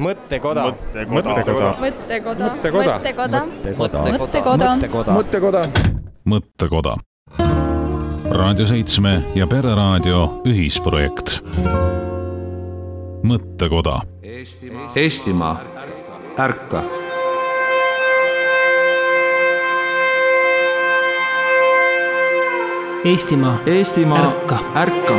Mõttekoda. Raadio 7 ja Pereraadio ühisprojekt. Mõttekoda. Eestimaa, ärka! Eestimaa, ärka! Ärka!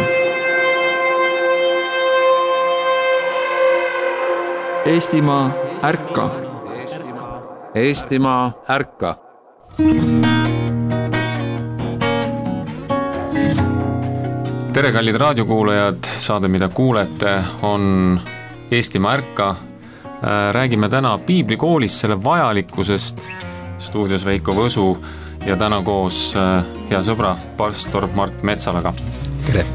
Eestimaa, ärka! Eestimaa, ärka! Tere, kallid raadiokuulajad, saade, mida kuulete, on Eestimaa ärka. Räägime täna piiblikoolis selle vajalikkusest. Stuudios Veiko Võsu ja täna koos hea sõbra pastor Mart Metsalaga. Tere!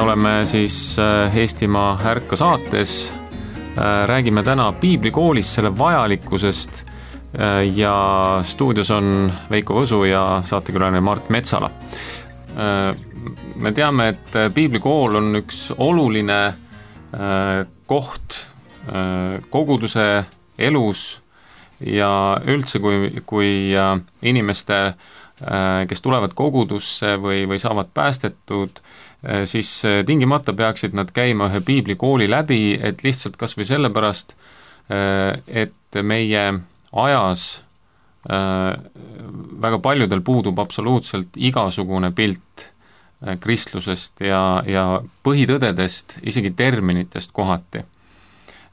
Oleme siis Eestimaa ärka saates. Räägime täna piiblikoolis selle vajalikkusest ja stuudios on Veiko Võsu ja saatekülaline Mart Metsala. Me teame, et piiblikool on üks oluline koht koguduse elus ja üldse kui inimeste, kes tulevad kogudusse või saavad päästetud, siis tingimata peaksid nad käima ühe piiblikooli läbi, et lihtsalt kas või sellepärast, et meie ajas väga paljudel puudub absoluutselt igasugune pilt kristlusest ja põhitõdedest, isegi terminitest kohati.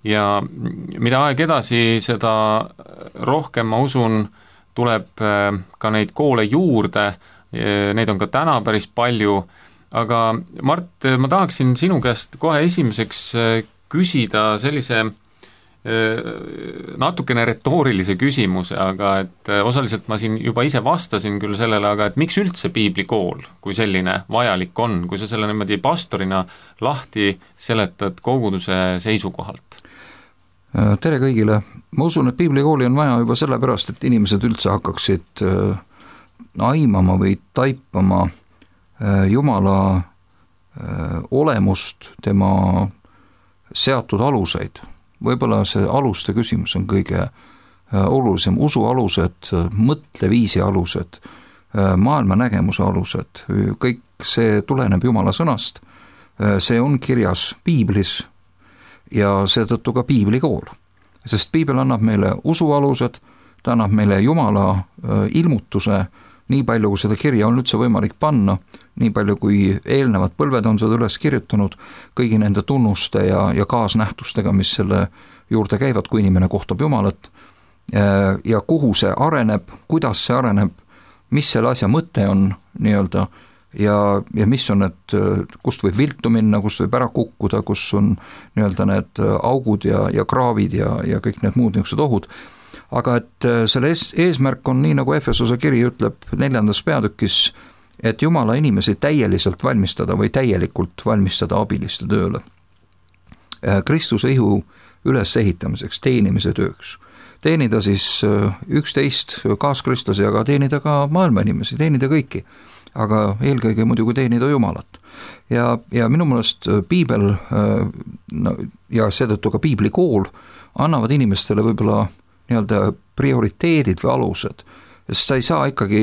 Ja mida aeg edasi, seda rohkem, ma usun, tuleb ka neid koole juurde, neid on ka täna päris palju. Aga Mart, ma tahaksin sinu käest kohe esimeseks küsida sellise natukene retoorilise küsimuse, aga et osaliselt ma siin juba ise vastasin küll sellele, aga et miks üldse piiblikool, kui selline vajalik on, kui sa selle niimoodi pastorina lahti seletad koguduse seisukohalt? Tere kõigile! Ma usun, et piiblikooli on vaja juba sellepärast, et inimesed üldse hakkaksid aimama või taipama Jumala olemust, tema seatud aluseid. Võib-olla see aluste küsimus on kõige olulisem. Usu alused, mõtleviisi alused, maailma nägemuse alused, kõik see tuleneb Jumala sõnast. See on kirjas piiblis ja seetõttu ka piiblikool. Sest piibel annab meile usu alused, ta annab meile Jumala ilmutuse, nii palju, kui seda kirja on üldse võimalik panna, nii palju, kui eelnevad põlved on seda üles kirjutanud, kõigi nende tunnuste ja kaasnähtustega, mis selle juurde käivad, kui inimene kohtab Jumalat, ja kuhu see areneb, kuidas see areneb, mis selle asja mõte on nii-öelda, ja mis on need, kust võib viltu minna, kust võib ära kukkuda, kus on nii-öelda need augud ja kraavid ja kõik need muud niisugused ohud. Aga et selle eesmärk on nii, nagu Efesose kiri ütleb 4. peatükis, et Jumala inimesi täielikult valmistada või täielikult valmistada abiliste tööle. Kristuse ihu ülesehitamiseks, teenimise tööks. Teenida siis 11 kaaskristlasi, aga teenida ka maailma inimesi, teenida kõiki. Aga eelkõige muidugi teenida Jumalat. Ja minu meelest piibel ja seetõttu ka piiblikool annavad inimestele võib-olla nii-öelda prioriteedid või alused, sest sa ei saa ikkagi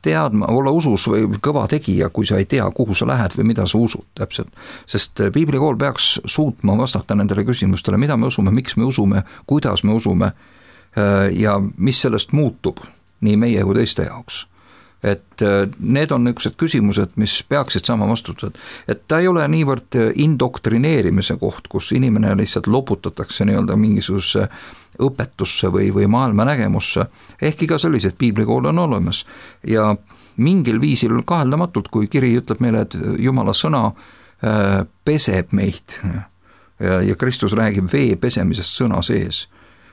teadma, olla usus või kõva tegija, kui sa ei tea, kuhu sa lähed või mida sa usud täpselt. Sest piiblikool peaks suutma vastata nendele küsimustele, mida me usume, miks me usume, kuidas me usume ja mis sellest muutub nii meie kui teiste jaoks. et need on niisugused küsimused, mis peaksid saama vastutused. Et ta ei ole niivõrd indoktrineerimise koht, kus inimene lihtsalt loputatakse nii-öelda mingisuguse õpetusse või maailma nägemusse, ehkki ka sellised piiblikool on olemas. Ja mingil viisil kaheldamatult, kui kiri ütleb meile, et Jumala sõna peseb meid ja Kristus räägib vee pesemisest sõna sees,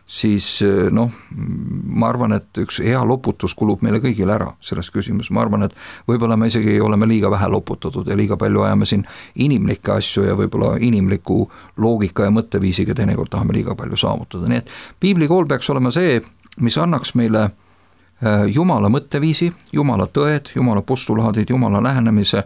siis ma arvan, et üks hea loputus kulub meile kõigile ära selles küsimus. Ma arvan, et võib-olla me isegi oleme liiga vähe loputatud ja liiga palju ajame siin inimlikke asju ja võib-olla inimliku loogika ja mõtteviisiga teinekord tahame liiga palju saavutada. Nii et piiblikool peaks olema see, mis annaks meile Jumala mõtteviisi, Jumala tõed, Jumala postulaadid, Jumala lähenemise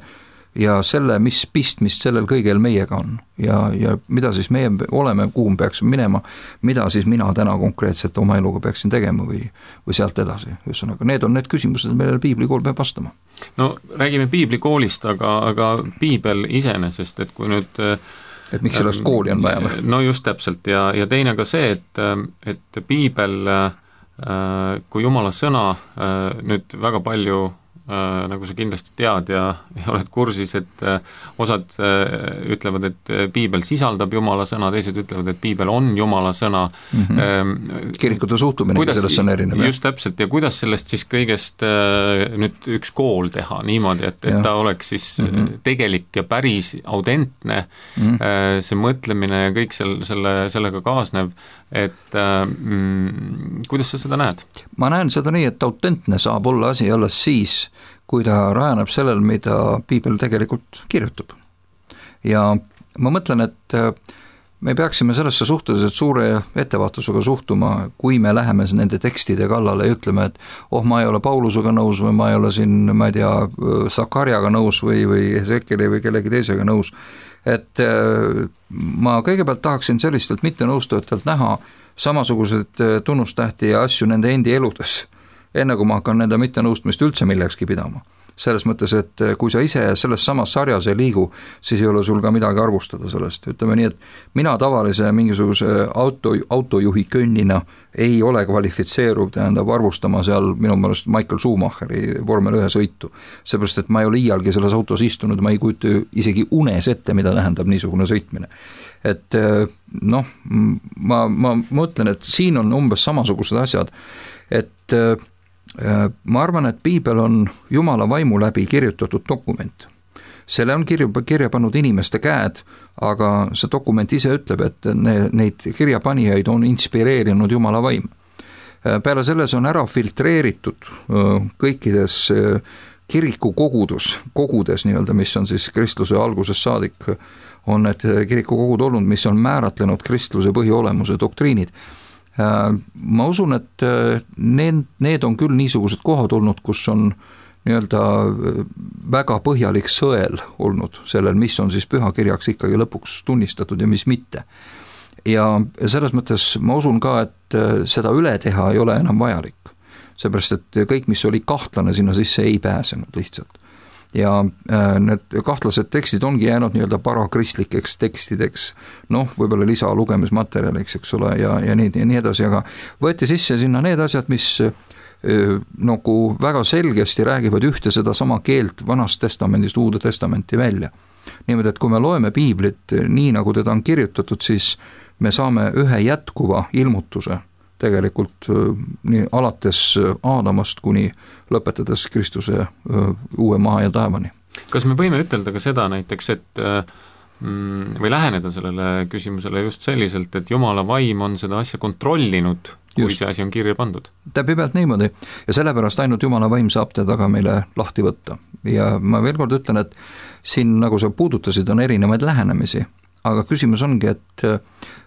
ja selle, mis pistmist sellel kõigel meiega on ja mida siis meie oleme, kuhu me peaksime minema, mida siis mina täna konkreetselt oma eluga peaksin tegema või sealt edasi. Ühesõnaga, need on need küsimused, millele piiblikool peab vastama. No räägime piiblikoolist, aga piibel iseenesest, et kui nüüd et miks sellest kooli on vaja? No just täpselt ja teine ka see, et piibel kui Jumala sõna nüüd väga palju nagu sa kindlasti tead ja oled kursis, et osad ütlevad, et piibel sisaldab Jumala sõna, teised ütlevad, et piibel on Jumala sõna. Kirikute suhtumine sellest on erinev. Just täpselt ja kuidas sellest siis kõigest nüüd üks kool teha niimoodi, et ta oleks siis tegelik ja päris autentne, see mõtlemine ja kõik sellega kaasnev, et kuidas sa seda näed? Ma näen seda nii, et autentne saab olla asi alles siis, kui ta rajaneb sellel, mida piibel tegelikult kirjutab. Ja ma mõtlen, et me peaksime sellesse suhteliselt suure ettevaatusega suhtuma, kui me läheme nende tekstide kallale ja ütleme, et ma ei ole Paulusega nõus või ma ei ole siin, ma ei tea, Sakarjaga nõus või Ezekieli või kellegi teisega nõus. Et ma kõigepealt tahaksin sellistelt mitte nõustujatelt näha samasugused tunnustähti ja asju nende endi eludes, enne kui ma hakkan nende mitte nõustmist üldse millekski pidama. Selles mõttes, et kui sa ise selles samas sarjas ei liigu, siis ei ole sul ka midagi arvustada sellest. Ütleme nii, et mina tavalise mingisuguse autojuhi könnina ei ole kvalifitseeruv, tähendab arvustama seal minu meelest Michael Schumacheri Vormel 1 sõitu. Seepärast, et ma ei ole iialgi selles autos istunud, ma ei kujuta isegi unes ette, mida tähendab niisugune sõitmine. Et ma mõtlen, et siin on umbes samasugused asjad, et ma arvan, et piibel on Jumala vaimu läbi kirjutatud dokument. Selle on kirja pannud inimeste käed, aga see dokument ise ütleb, et neid kirjapanijaid on inspireerinud Jumala vaim. Peale selles on ära filtreeritud kõikides kiriku kogudes nii-öelda, mis on siis kristluse algusest saadik, on need kirikukogud olnud, mis on määratlenud kristluse põhiolemuse doktriinid. Ma usun, et need on küll niisugused kohad olnud, kus on nii-öelda väga põhjalik sõel olnud sellel, mis on siis pühakirjaks ikkagi lõpuks tunnistatud ja mis mitte. Ja selles mõttes ma usun ka, et seda üle teha ei ole enam vajalik. Seepärast, et kõik, mis oli kahtlane sinna sisse, ei pääsenud lihtsalt. Ja need kahtlased tekstid ongi jäänud nii-öelda parakristlikeks tekstideks, võib-olla lisa lugemismaterjaliks, eks ole, ja nii edasi, aga võeti sisse sinna need asjad, mis nagu väga selgesti räägivad ühte seda sama keelt Vanast testamendist Uude testamenti välja. Niimoodi, et kui me loeme piiblit nii, nagu teda on kirjutatud, siis me saame ühe jätkuva ilmutuse tegelikult nii alates Aadamast kuni lõpetades Kristuse uue maa ja taevani. Kas me võime ütelda ka seda näiteks, et või läheneda sellele küsimusele just selliselt, et Jumala vaim on seda asja kontrollinud, kui see asi on kirja pandud? Täpselt niimoodi ja sellepärast ainult Jumala vaim saab teda ka meile lahti võtta. Ja ma veel kord ütlen, et siin, nagu sa puudutasid, on erinevaid lähenemisi, aga küsimus ongi, et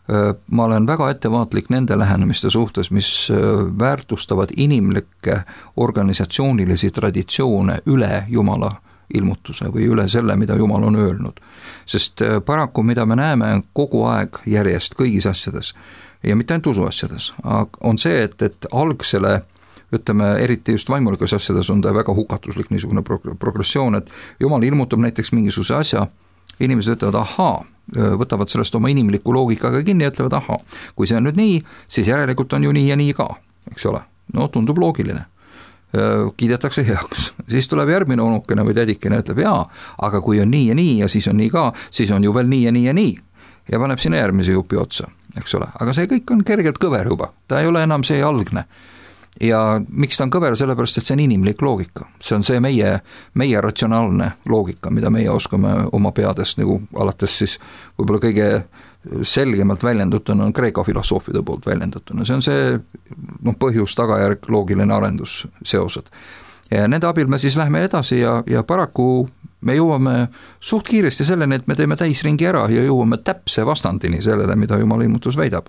ma olen väga ettevaatlik nende lähenemiste suhtes, mis väärtustavad inimlikke organisatsioonilisi traditsioone üle Jumala ilmutuse või üle selle, mida Jumal on öelnud. Sest paraku, mida me näeme kogu aeg järjest kõigis asjades ja mitte ainult usuasjades, on see, et algsele, ütleme, eriti just vaimulikas asjades on ta väga hukatuslik niisugune progressioon, et Jumal ilmutab näiteks mingisuguse asja, inimesed ütlevad, ahaa, võtavad sellest oma inimliku loogikaga kinni ja ütlevad, ahaa, kui see on nüüd nii, siis järelikult on ju nii ja nii ka, eks ole. Tundub loogiline. kiidetakse heaks, siis tuleb järgmine onukene või tädikene, ütleb jaa, aga kui on nii ja siis on nii ka, siis on ju veel nii ja nii ja nii ja paneb sinna järgmise jupi otsa, eks ole, aga see kõik on kergelt kõver juba, ta ei ole enam see algne. Ja miks ta on kõver, sellepärast, et see on inimlik loogika, see on see meie ratsionaalne loogika, mida meie oskame oma peades nagu alates siis võib-olla kõige selgemalt väljendatuna on Kreeka filosoofide poolt väljendatuna, see on see põhjus, tagajärg, loogiline arendus, seosed. Ja nende abil me siis lähme edasi ja paraku me jõuame suht kiiresti selleni, et me teeme täisringi ära ja jõuame täpse vastandini sellele, mida Jumala ilmutus väidab.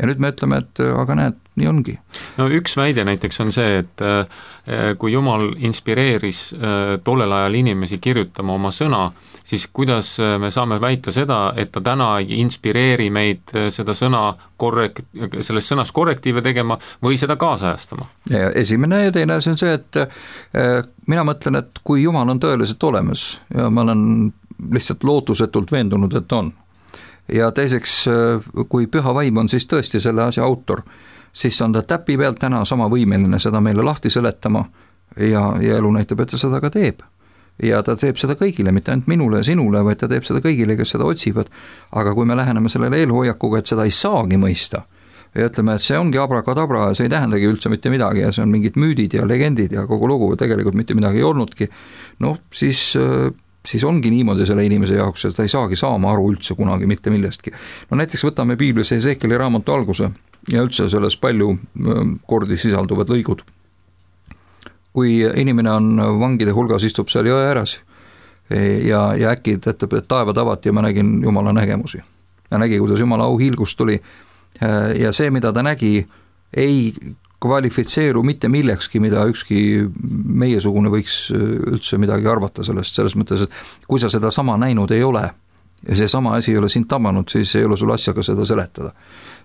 Ja nüüd me ütleme, et aga näed, nii ongi. No üks väide näiteks on see, et kui Jumal inspireeris tollel ajal inimesi kirjutama oma sõna, siis kuidas me saame väita seda, et ta täna ei inspireeri meid seda sõna selles sõnas korrektiive tegema või seda kaasajastama? Ja esimene ja teine see on see, et mina mõtlen, et kui Jumal on tõeliselt olemas ja ma olen lihtsalt lootusetult veendunud, et on, ja teiseks, kui püha vaim on siis tõesti selle asja autor, siis on ta täpi pealt täna sama võimeline seda meile lahti seletama ja elu näitab, et ta seda ka teeb. Ja ta teeb seda kõigile, mitte ainult minule ja sinule, vaid ta teeb seda kõigile, kes seda otsivad. Aga kui me läheneme sellele eelhoiakuga, et seda ei saagi mõista ja ütleme, et see ongi abrakadabra ja see ei tähendagi üldse mitte midagi ja see on mingid müüdid ja legendid ja kogu lugu tegelikult mitte midagi ei olnudki, siis ongi niimoodi selle inimese jaoks, et ta ei saagi saama aru üldse kunagi mitte millestki. No näiteks võtame Piiblis Ezekieli raamatu alguse ja üldse selles palju kordi sisalduvad lõigud. Kui inimene on vangide hulgas, istub seal jõe ääres ja äkki ütleb, et taevad avati ja ma nägin Jumala nägemusi. Ja nägi, kuidas Jumala auhiilgus tuli ja see, mida ta nägi, ei kvalifitseeru mitte millekski, mida ükski meiesugune võiks üldse midagi arvata selles mõttes, et kui sa seda sama näinud ei ole ja see sama asi ei ole sind tabanud, siis ei ole sul asjaga seda seletada.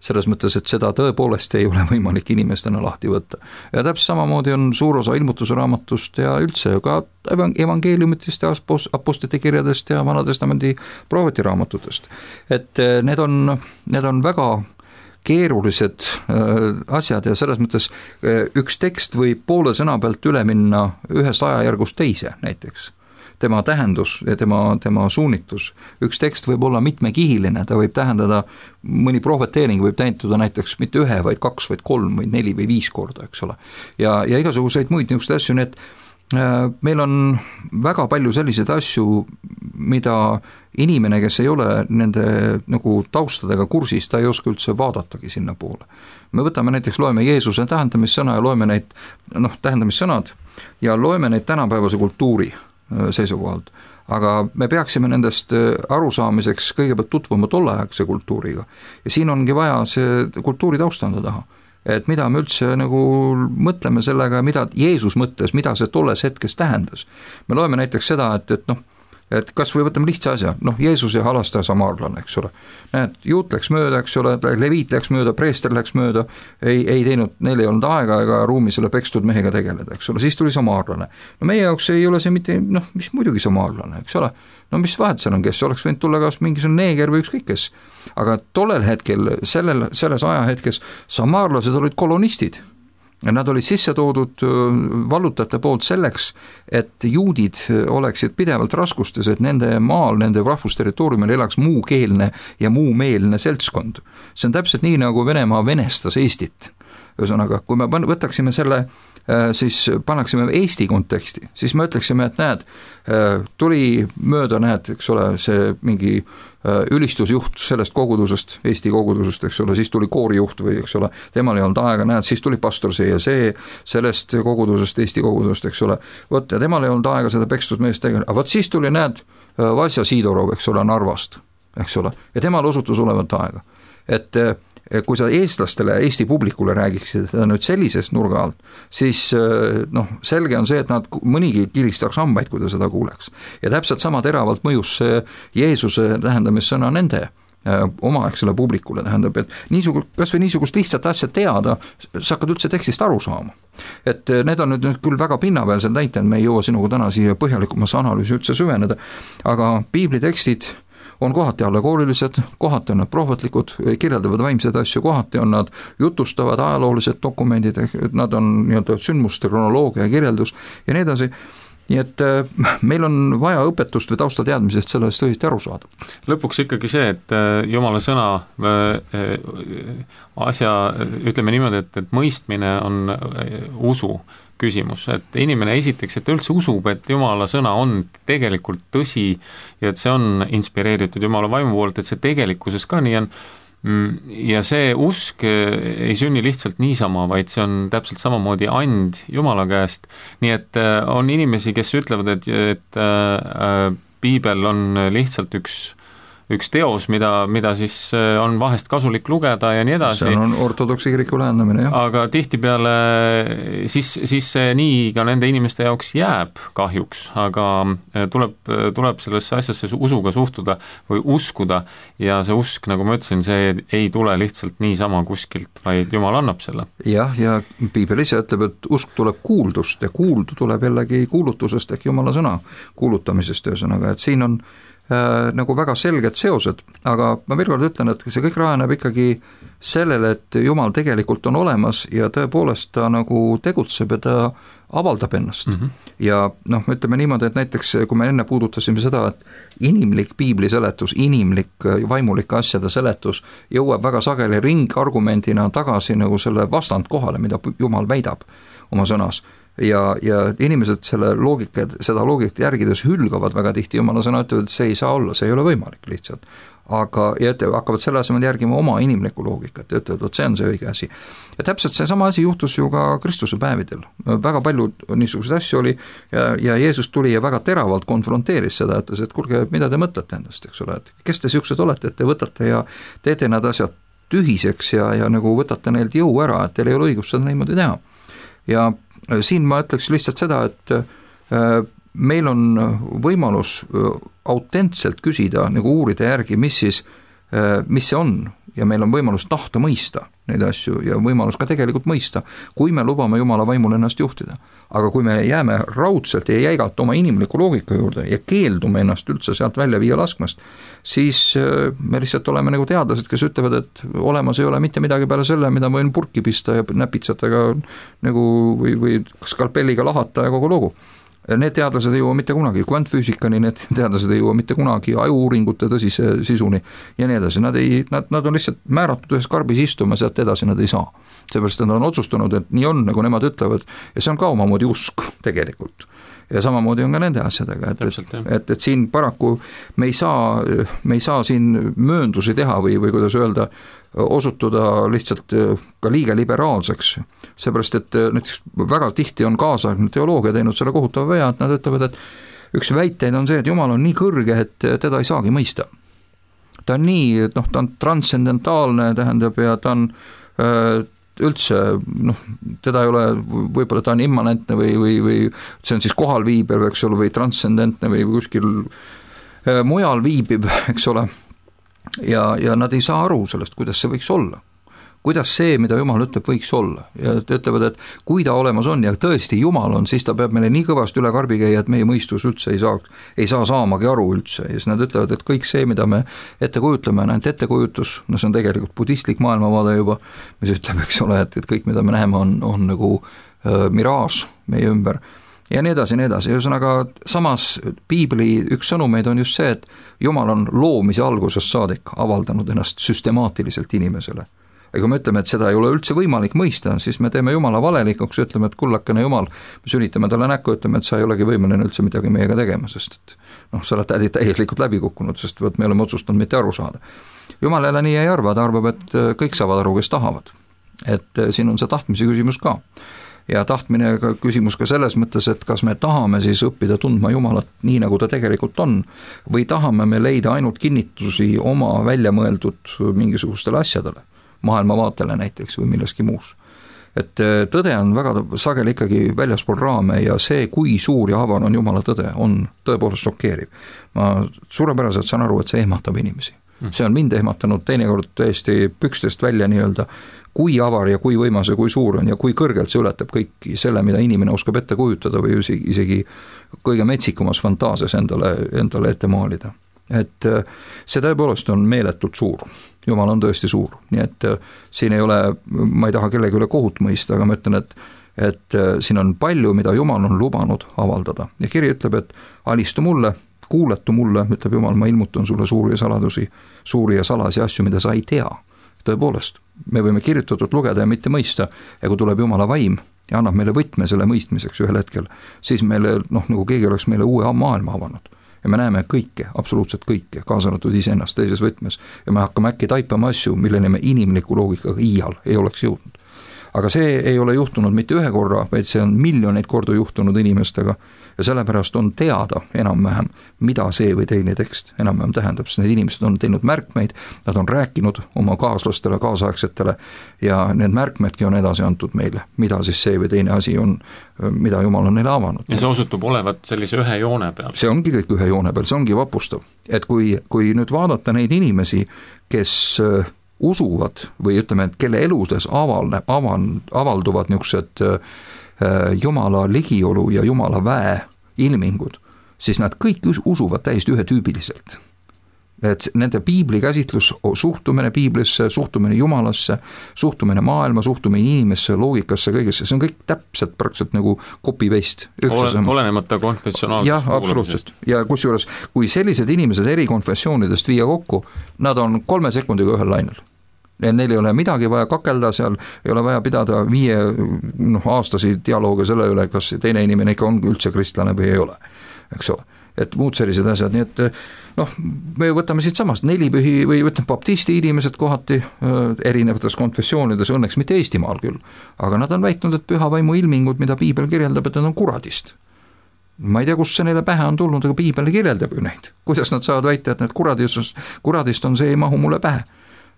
Selles mõttes, et seda tõepoolest ei ole võimalik inimestena lahti võtta. Ja täpselt samamoodi on suur osa ilmutuse raamatust ja üldse ka evangeeliumitest ja apostlite kirjadest ja Vanatestamendi prohveti raamatutest. Et need on väga keerulised asjad ja selles mõttes üks tekst võib poole sõna pealt üle minna ühest ajajärgust teise näiteks. Tema tähendus ja tema suunitus. Üks tekst võib olla mitmekihiline, ta võib tähendada, mõni prohveteering võib tähenduda näiteks mitte 1, vaid 2, vaid 3, või 4 või 5 korda, eks ole. Ja igasuguseid muid niisuguseid asju, nii et meil on väga palju selliseid asju, mida inimene, kes ei ole nende nagu taustadega kursis, ta ei oska üldse vaadatagi sinna poole. Me võtame näiteks, loeme Jeesuse tähendamissõna ja loeme neid tähendamissõnad ja loeme neid tänapäevase kultuuri seisukohalt. Aga me peaksime nendest arusaamiseks kõigepealt tutvuma tolleaegse kultuuriga. Ja siin ongi vaja see kultuuri taustanda taha. Et mida me üldse nagu mõtleme sellega, mida Jeesus mõtles, mida see tolles hetkes tähendas. Me loeme näiteks seda, et kas või võtame lihtsa asja, Jeesus ja halastaja samaarlane, eks ole. Näed, juut läks mööda, eks ole, leviit läks mööda, preester läks mööda, ei teinud, neil ei olnud aega ega ruumi selle pekstud mehega tegeleda, eks ole, siis tuli samaarlane. No meie jaoks ei ole see mitte, mis muidugi samaarlane, eks ole. No mis vahet seal on, kes oleks võinud tulla kas mingisugune neeger või ükskõik kes. Aga tollel hetkel, selles ajahetkes samaarlased olid kolonistid. Nad olid sisse toodud vallutajate poolt selleks, et juudid oleksid pidevalt raskustes, et nende maal, nende rahvusterritooriumil elaks muukeelne ja muumeelne seltskond. See on täpselt nii, nagu Venemaa venestas Eestit. Ühesõnaga, kui me võtaksime selle, siis pannaksime Eesti konteksti, siis me ütleksime, et näed, tuli mööda, näed, eks ole, see mingi ülistusjuht sellest kogudusest, Eesti kogudusest, eks ole, siis tuli koorijuht või eks ole, temal ei olnud aega, näed, siis tuli pastor see ja see sellest kogudusest, Eesti kogudusest, eks ole, vot ja temal ei olnud aega seda pekstud meest tegeleda, aga vot siis tuli, näed, Vasja Siidorov, eks ole, Narvast, eks ole, ja temal osutus olevat aega, et kui sa eestlastele, Eesti publikule räägiksid nüüd sellisest nurga alt, siis selge on see, et nad mõnigi kiristaks hambaid, kui ta seda kuuleks. Ja täpselt sama teravalt mõjus Jeesuse tähendamissõna nende omaaegsele publikule, tähendab, et kas või niisugust lihtsat asja teada, sa hakkad üldse tekstist aru saama. Et need on nüüd küll väga pinnapealsed näited, me ei jõua sinuga täna siia põhjalikumasse analüüsi üldse süveneda, aga piibli tekstid on kohati allegoorilised, kohati on nad prohvetlikud, kirjeldavad vaimseid asju, kohati on nad jutustavad ajaloolised dokumendid, nad on nii-öelda sündmuste kronoloogia kirjeldus ja nii edasi. Nii et meil on vaja õpetust või taustateadmisest sellest õigesti aru saada. Lõpuks ikkagi see, et Jumala sõna asja, ütleme niimoodi, et mõistmine on usu küsimus, et inimene esiteks, et üldse usub, et Jumala sõna on tegelikult tõsi ja et see on inspireeritud Jumala vaimu poolt, et see tegelikkuses ka nii on. Ja see usk ei sünni lihtsalt niisama, vaid see on täpselt samamoodi and Jumala käest. Nii et on inimesi, kes ütlevad, et piibel on lihtsalt üks teos, mida siis on vahest kasulik lugeda ja nii edasi. See on ortodoksi kiriku lähendamine, jah. Aga tihtipeale siis see nii ka nende inimeste jaoks jääb kahjuks, aga tuleb sellesse asjasse usuga suhtuda või uskuda ja see usk, nagu ma ütlesin, see ei tule lihtsalt niisama kuskilt, vaid Jumal annab selle. Jah, ja piibel ise ütleb, et usk tuleb kuuldust ja kuuldu tuleb jällegi kuulutusest ehk Jumala sõna kuulutamisest ühesõnaga, et siin on nagu väga selged seosed, aga ma veel kord ütlen, et see kõik rajaneb ikkagi sellele, et Jumal tegelikult on olemas ja tõepoolest ta nagu tegutseb ja ta avaldab ennast. Ja ütleme niimoodi, et näiteks kui me enne puudutasime seda, et inimlik piibli seletus, inimlik vaimulike asjade seletus jõuab väga sageli ringargumendina tagasi nagu selle vastandkohale, mida Jumal väidab oma sõnas. Ja inimesed seda loogikat järgides hülgavad väga tihti Jumala sõna, ütlevad, et see ei saa olla, see ei ole võimalik lihtsalt. Aga hakkavad selle asemel järgima oma inimlikku loogikat ja ütlevad, et see on see õige asi. Ja täpselt see sama asi juhtus ju ka Kristuse päevidel. Väga palju niisuguseid asju oli ja Jeesus tuli ja väga teravalt konfronteeris seda, ütles, et kuulge, mida te mõtlete endast, eks ole, et kes te siuksed olete, et te võtate ja teete need asjad tühiseks ja nagu võtate neilt jõu ära, et teil ei ole õigust seda niimoodi teha. Ja siin ma ütleks lihtsalt seda, et meil on võimalus autentselt küsida, nagu uurida järgi, mis see on ja meil on võimalus tahta mõista neid asju ja võimalus ka tegelikult mõista, kui me lubame Jumala vaimul ennast juhtida. Aga kui me jääme raudselt ja jäigalt oma inimliku loogika juurde ja keeldume ennast üldse sealt välja viia laskmast, siis me lihtsalt oleme nagu teadlased, kes ütlevad, et olemas ei ole mitte midagi peale selle, mida ma võin purki pista ja näpitsatega nagu või skalpelliga lahata ja kogu lugu. Need teadlased ei jõua mitte kunagi kvantfüüsikani, need teadlased ei jõua mitte kunagi ajuuuringute tõsise sisuni ja nii edasi. Nad on lihtsalt määratud ühes karbis istuma, sealt edasi nad ei saa. Seepärast nad on otsustanud, et nii on, nagu nemad ütlevad, ja see on ka omamoodi usk tegelikult. Ja samamoodi on ka nende asjadega, et siin paraku me ei saa siin mööndusi teha või kuidas öelda, osutuda lihtsalt ka liiga liberaalseks, seepärast et näiteks väga tihti on kaasaegne teoloogia teinud selle kohutava vea, et nad ütlevad, et üks väiteid on see, et Jumal on nii kõrge, et teda ei saagi mõista. Ta on nii, ta on transcendentaalne, tähendab, ja ta on üldse, teda ei ole, võib-olla ta on immanentne või see on siis kohal viibiv, eks ole, või transcendentne või kuskil mujal viibib, eks ole, ja nad ei saa aru sellest, kuidas see võiks olla. Kuidas see, mida Jumal ütleb, võiks olla. Ja ütlevad, et kui ta olemas on ja tõesti Jumal on, siis ta peab meile nii kõvasti üle karbi käia, et meie mõistus üldse ei saa saamagi aru üldse. Ja siis nad ütlevad, et kõik see, mida me ette kujutleme, on ainult ettekujutus, see on tegelikult budistlik maailmavaade juba, mis ütleb, eks ole, et kõik, mida me näeme, on nagu miraaž meie ümber. Ja nii edasi, nii edasi. Ühesõnaga, samas piibli üks sõnumeid on just see, et Jumal on loomise algusest saadik avaldanud ennast süstemaatiliselt inimesele. Ja kui me ütleme, et seda ei ole üldse võimalik mõista, siis me teeme Jumala valelikuks ja ütleme, et kullakene Jumal, me sünitame talle näkku, ütleme, et sa ei olegi võimeline üldse midagi meiega tegema, sest sa oled täielikult läbi kukkunud, sest me oleme otsustanud mitte aru saada. Jumal jälle nii ei arva, ta arvab, et kõik saavad aru, kes tahavad. Et siin on see tahtmise küsimus ka. Ja tahtmine küsimus ka selles mõttes, et kas me tahame siis õppida tundma Jumalat nii, nagu ta tegelikult on, või tahame me leida ainult kinnitusi oma väljamõeldud mingisugustele asjadele, maailmavaatele näiteks või milleski muus. Et tõde on väga sageli ikkagi väljaspool raame ja see, kui suur ja avar on Jumala tõde, on tõepoolest šokeeriv. Ma suurepäraselt saan aru, et see ehmatab inimesi. See on mind ehmatanud teinekord tõesti pükstest välja nii-öelda, kui avar ja kui võimas ja kui suur on ja kui kõrgelt see ületab kõiki selle, mida inimene oskab ette kujutada või isegi kõige metsikumas fantaasias endale ette maalida. et see tõepoolest on meeletult suur, Jumal on tõesti suur, nii et siin ei ole, ma ei taha kellegi üle kohut mõista, aga ma ütlen, et siin on palju, mida Jumal on lubanud avaldada ja kiri ütleb, et alistu mulle, kuuletu mulle, ütleb Jumal, ma ilmutan sulle suuri ja salasi asju, mida sa ei tea. Tõepoolest, me võime kirjutatud lugeda ja mitte mõista, ja kui tuleb Jumala vaim ja annab meile võtme selle mõistmiseks ühel hetkel, siis meile, nagu keegi oleks meile uue maailma avanud. Ja me näeme kõike, absoluutselt kõike, kaasa arvatud iseennast teises võtmes. Ja me hakkame äkki taipama asju, milleni me inimliku loogikaga iial ei oleks jõudnud. Aga see ei ole juhtunud mitte ühe korra, vaid see on miljoneid korda juhtunud inimestega ja sellepärast on teada enam-vähem, mida see või teine tekst enam-vähem tähendab, sest need inimesed on teinud märkmeid, nad on rääkinud oma kaaslastele, kaasaegsetele ja need märkmedki on edasi antud meile, mida siis see või teine asi on, mida Jumal on neile avanud. Ja see osutub olevat sellise ühe joone peal. See ongi kõik ühe joone peal, see ongi vapustav. Et kui nüüd vaadata neid inimesi, kes usuvad või ütleme, et kelle eludes avalduvad niisugused Jumala ligiolu ja Jumala väe ilmingud, siis nad kõik usuvad täiesti ühetüübiliselt. Et nende piibli käsitlus, suhtumine piiblisse, suhtumine Jumalasse, suhtumine maailma, suhtumine inimesse, loogikasse, kõigesse, see on kõik täpselt praktiliselt nagu copy-paste. Olenemata konfessionaalsest. Jah, absoluutselt. Ja kusjuures, kui sellised inimesed eri konfessioonidest viia kokku, nad on 3 sekundiga ühel lainel. Neil ei ole midagi vaja kakelda seal, ei ole vaja pidada 5 aastasi dialoogi selle üle, kas teine inimene ikka on üldse kristlane või ei ole, eks ole. Et muud sellised asjad, nii et me võtame siit samast 4 pühi või võtame baptisti inimesed kohati erinevates konfessioonides, õnneks mitte Eestimaal küll, aga nad on väitnud, et püha vaimu ilmingud, mida piibel kirjeldab, et nad on kuradist. Ma ei tea, kust see neile pähe on tulnud, aga piibel kirjeldab ju neid. Kuidas nad saavad väita, et need kuradist on, see ei mahu mulle pähe.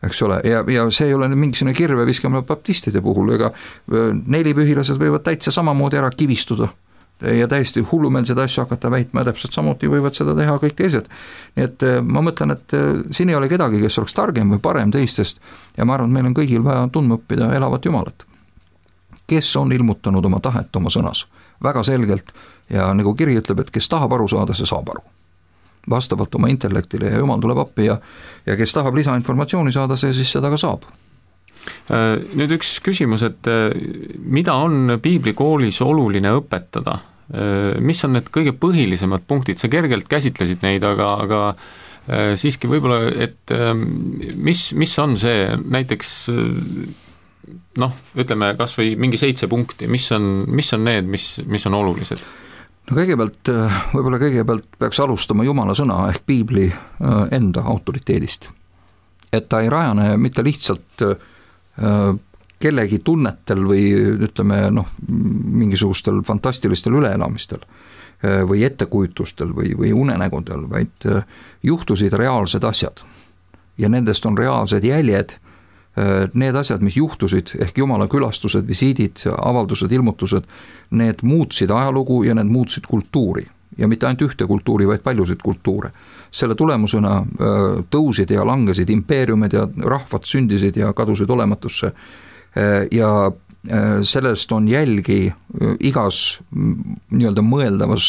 Eks ole, ja see ei ole mingisugune kirve viskamine baptistide puhul, ega 4 pühilased võivad täitsa samamoodi ära kivistuda ja täiesti hullumeelseid asju hakata väitma ja täpselt samuti võivad seda teha kõik teised. Nii et ma mõtlen, et siin ei ole kedagi, kes oleks targem või parem teistest ja ma arvan, et meil on kõigil vaja tundma õppida elavat Jumalat, kes on ilmutanud oma tahet oma sõnas väga selgelt ja nagu kiri ütleb, et kes tahab aru saada, see saab aru vastavalt oma intellektile ja Jumal tuleb appi ja kes tahab lisainformatsiooni saada, see siis seda ka saab. Nüüd üks küsimus, et mida on piiblikoolis oluline õpetada? Mis on need kõige põhilisemad punktid? Sa kergelt käsitlesid neid, aga siiski võib-olla, et mis on see näiteks ütleme kas või mingi 7 punkti, mis on need, mis on olulised? No kõigepealt peaks alustama Jumala sõna ehk piibli enda autoriteedist. Et ta ei rajane mitte lihtsalt kellegi tunnetel või ütleme mingisugustel fantastilistel üleelamistel või ettekujutustel või unenägudel, vaid juhtusid reaalsed asjad ja nendest on reaalsed jäljed. Need asjad, mis juhtusid, ehk Jumala külastused, visiidid, avaldused, ilmutused, need muutsid ajalugu ja need muutsid kultuuri. Ja mitte ainult ühte kultuuri, vaid paljusid kultuure. Selle tulemusena tõusid ja langesid impeeriumid ja rahvad sündisid ja kadusid olematusse. Ja sellest on jälgi igas nii-öelda mõeldavas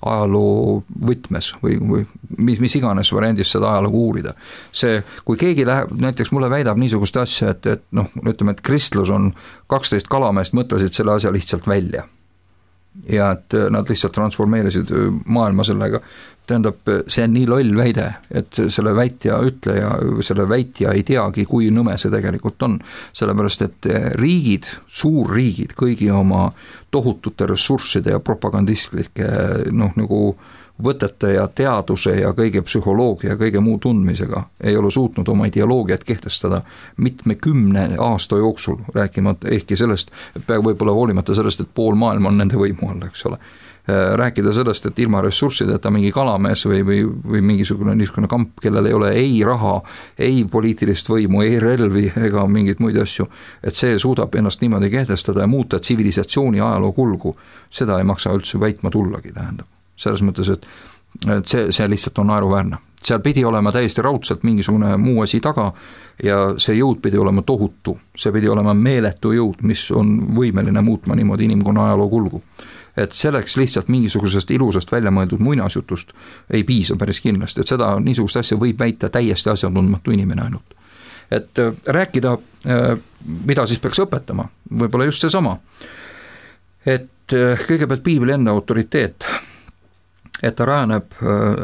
ajaloo võtmes või mis iganes variandis seda ajalugu uurida. See, kui keegi läheb, näiteks mulle väidab niisugust asja, et ütleme, et kristlus on 12 kalameest mõtlesid selle asja lihtsalt välja. Ja et nad lihtsalt transformeerisid maailma sellega. Tähendab, see on nii loll väide, et selle väitja ütleja, selle väitja ei teagi, kui nõme see tegelikult on. Sellepärast, et riigid, suurriigid, kõigi oma tohutute ressursside ja propagandistlike nagu võtete ja teaduse ja kõige psühholoogia ja kõige muu tundmisega ei ole suutnud oma ideoloogiat kehtestada 10 aasta jooksul, rääkimata ehkki sellest, võib-olla hoolimata sellest, et pool maailma on nende võimu all, eks ole. Rääkida sellest, et ilma ressurssideta mingi kalamees või mingisugune niisugune kamp, kellel ei ole ei raha, ei poliitilist võimu, ei relvi ega mingeid muid asju, et see suudab ennast niimoodi kehtestada ja muuta tsivilisatsiooni ajaloo kulgu, seda ei maksa üldse väitma tullagi, tähendab. Selles mõttes, et see lihtsalt on naeruväärne. Seal pidi olema täiesti raudselt mingisugune muu asi taga ja see jõud pidi olema tohutu. See pidi olema meeletu jõud, mis on võimeline muutma niimoodi inimkonna ajaloo kulgu. et selleks lihtsalt mingisugusest ilusast välja mõeldud muinasjutust ei piisa päris kindlasti, et seda niisugust asja võib väita täiesti asjatundmatu inimene ainult. Et rääkida, mida siis peaks õpetama, võib-olla just seesama, et kõigepealt piibli enda autoriteet, et ta rajaneb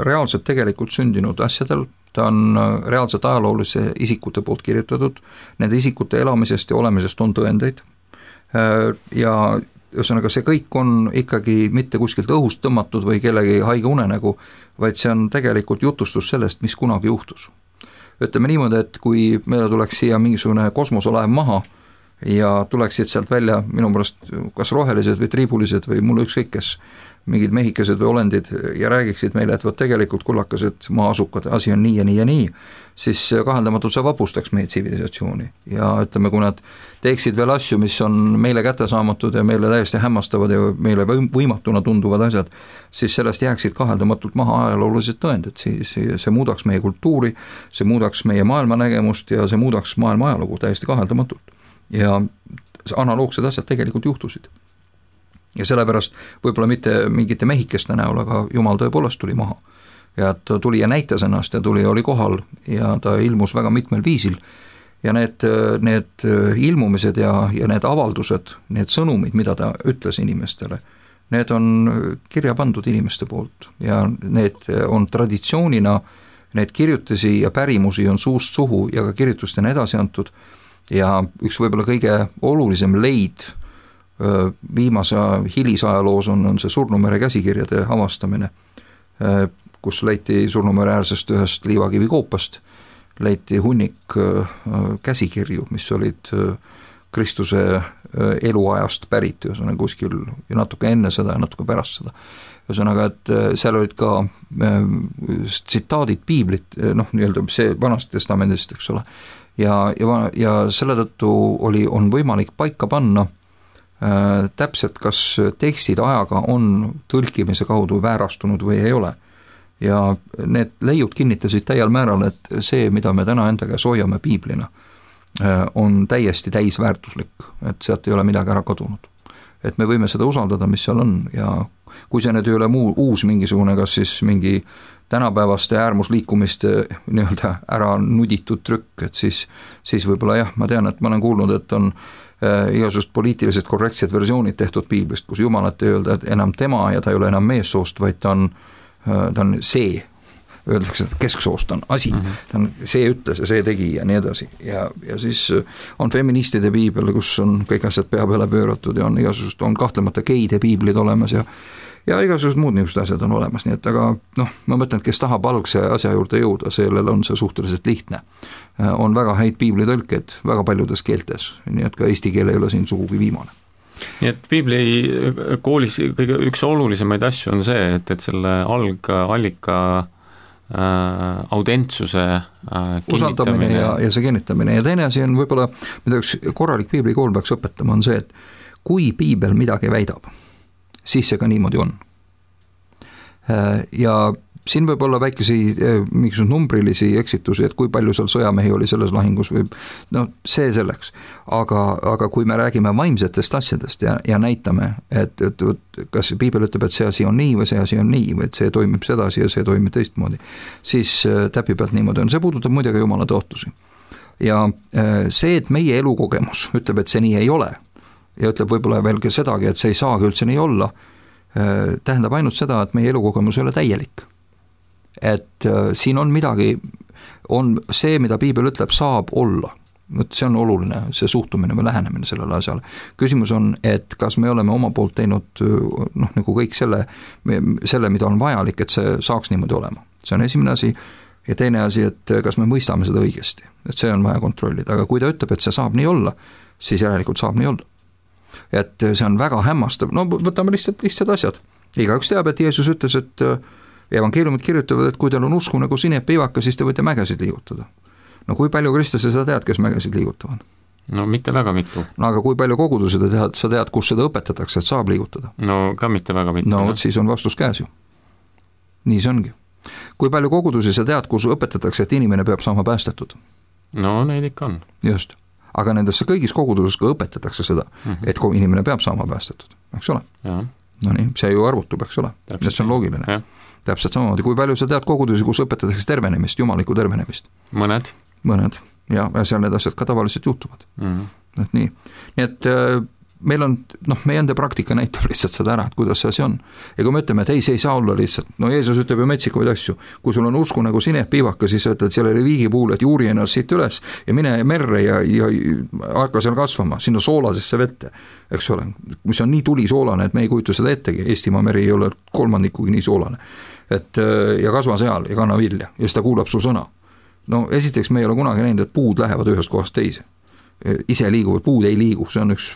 reaalselt tegelikult sündinud asjadel, ta on reaalselt ajaloolise isikute poolt kirjutatud, nende isikute elamisest ja olemisest on tõendeid ja ühesõnaga see kõik on ikkagi mitte kuskilt õhust tõmmatud või kellegi haige unenägu, vaid see on tegelikult jutustus sellest, mis kunagi juhtus. Ütleme niimoodi, et kui meile tuleks siia mingisugune kosmoselaev maha ja tuleksid sealt välja minu pärast kas rohelised või triibulised või mulle ükskõik kes, mingid mehikesed või olendid ja räägiksid meile, et tegelikult kullakased maa-asukad, asi on nii ja nii ja nii, siis kaheldamatult see vapustaks meie tsivilisatsiooni ja ütleme, kui nad teeksid veel asju, mis on meile kättesaamatud ja meile täiesti hämmastavad ja meile võimatuna tunduvad asjad, siis sellest jääksid kaheldamatult maha ajaloolised tõendid, siis see muudaks meie kultuuri, see muudaks meie maailmanägemust ja see muudaks maailma ajalugu täiesti kaheldamatult ja analoogsed asjad tegelikult juhtusid. Ja sellepärast võib-olla mitte mingite mehikeste näol, aga Jumal tõepoolest tuli maha. Ja ta tuli ja näitas ennast ja tuli ja oli kohal ja ta ilmus väga mitmel viisil. Ja need ilmumised ja need avaldused, need sõnumid, mida ta ütles inimestele, need on kirja pandud inimeste poolt ja need on traditsioonina, need kirjutisi ja pärimusi on suust suhu ja ka kirjutustena edasi antud ja üks võib-olla kõige olulisem leid viimase hilisajaloos on see Surnumere käsikirjade avastamine, kus leiti Surnumere äärsest ühest liivakivikoopast, leiti hunnik käsikirju, mis olid Kristuse eluajast pärit, ühesõnaga kuskil ja natuke enne seda ja natuke pärast seda. Ühesõnaga, et seal olid ka tsitaadid piiblit, nii-öelda see Vanast Testamendist, eks ole, ja selle tõttu on võimalik paika panna täpselt, kas tekstid ajaga on tõlkimise kaudu väärastunud või ei ole. Ja need leiud kinnitasid täiel määral, et see, mida me täna enda käes hoiame piiblina, on täiesti täisväärtuslik, et sealt ei ole midagi ära kadunud. Et me võime seda usaldada, mis seal on ja kui see nüüd ei ole uus mingisugune, kas siis mingi tänapäevaste äärmusliikumiste nii-öelda ära nuditud trükk, et siis võib-olla jah, ma tean, et ma olen kuulnud, et on igasugust poliitiliselt korrektsed versioonid tehtud piiblist, kus Jumalat ei öelda, et enam tema ja ta ei ole enam meessoost, vaid ta on see, öeldakse, et kesksoost on asi, ta on see ütles ja see tegi ja nii edasi ja siis on feministide piibel, kus on kõik asjad pea peale pööratud ja on kahtlemata geide piiblid olemas ja igasugused muud niisugused asjad on olemas, nii et aga ma mõtlen, et kes tahab algse asja juurde jõuda, sellel on see suhteliselt lihtne. On väga häid piiblitõlked väga paljudes keeltes, nii et ka eesti keel ei ole siin sugugi viimane. Nii et piibli koolis kõige üks olulisemaid asju on see, et selle algallika audentsuse usaldamine ja see kinnitamine ja teine asi on võib-olla, mida üks korralik piiblikool peaks õpetama, on see, et kui piibel midagi väidab, siis see ka niimoodi on. Ja siin võib olla väikesi mingisugused numbrilisi eksitusi, et kui palju seal sõjamehi oli selles lahingus või see selleks. Aga kui me räägime vaimsetest asjadest ja näitame, et kas piibel ütleb, et see asi on nii või see asi on nii või et see toimib sedasi ja see toimib teistmoodi, siis täpi pealt niimoodi on. See puudutab muidugi Jumala tõotusi. Ja see, et meie elukogemus ütleb, et see nii ei ole ja ütleb võib-olla veel ka sedagi, et see ei saagi üldse nii olla, tähendab ainult seda, et meie elukogemus ei ole täielik. Et siin on midagi, on see, mida piibel ütleb, saab olla. See on oluline, see suhtumine või lähenemine sellele asjale. Küsimus on, et kas me oleme oma poolt teinud nagu kõik selle, mida on vajalik, et see saaks niimoodi olema. See on esimene asi ja teine asi, et kas me mõistame seda õigesti. Et see on vaja kontrollida, aga kui ta ütleb, et see saab nii olla, siis järelikult saab nii olla. Et see on väga hämmastav, võtame lihtsalt asjad. Igaüks teab, et Jeesus ütles, et evangeeliumid kirjutavad, et kui teil on usku nagu sinepiivaka, siis te võite mägesid liigutada. Kui palju kristlasi sa tead, kes mägesid liigutavad? No mitte väga mitu. Aga kui palju kogudusi sa tead, kus seda õpetatakse, et saab liigutada? No ka mitte väga mitu. No siis on vastus käes ju. Nii see ongi. Kui palju kogudusi sa tead, kus õpetatakse, et inimene peab saama päästetud? No neid ikka on. Just. Aga nendesse kõigis koguduses ka õpetatakse seda, et inimene peab saama päästetud, eks ole? Ja. no nii, see ju arvutub, eks ole, et see on loogiline. Täpselt samamoodi, kui palju sa tead kogudusi, kus õpetatakse tervenemist, jumalikku tervenemist? Mõned, ja seal need asjad ka tavaliselt juhtuvad. Et nii et meil on, meie enda praktika näitab lihtsalt seda ära, et kuidas see asi on. Ja kui me ütleme, et ei, see ei saa olla lihtsalt, no Jeesus ütleb ju metsikuid asju, kui sul on usku nagu sinepiivaka, siis ütled sellele viigipuule, et juuri ennast siit üles ja mine merre ja hakka seal kasvama, sinna soolasesse vette, eks ole, mis on nii tulisoolane, et me ei kujuta seda ettegi, Eestimaa meri ei ole kolmandikugi nii soolane, et ja kasva seal ja kanna vilja ja seda kuulab su sõna. No esiteks me ei ole kunagi näinud, et puud lähevad ühest kohast teise. Ise liiguvad, puud ei liigu, see on üks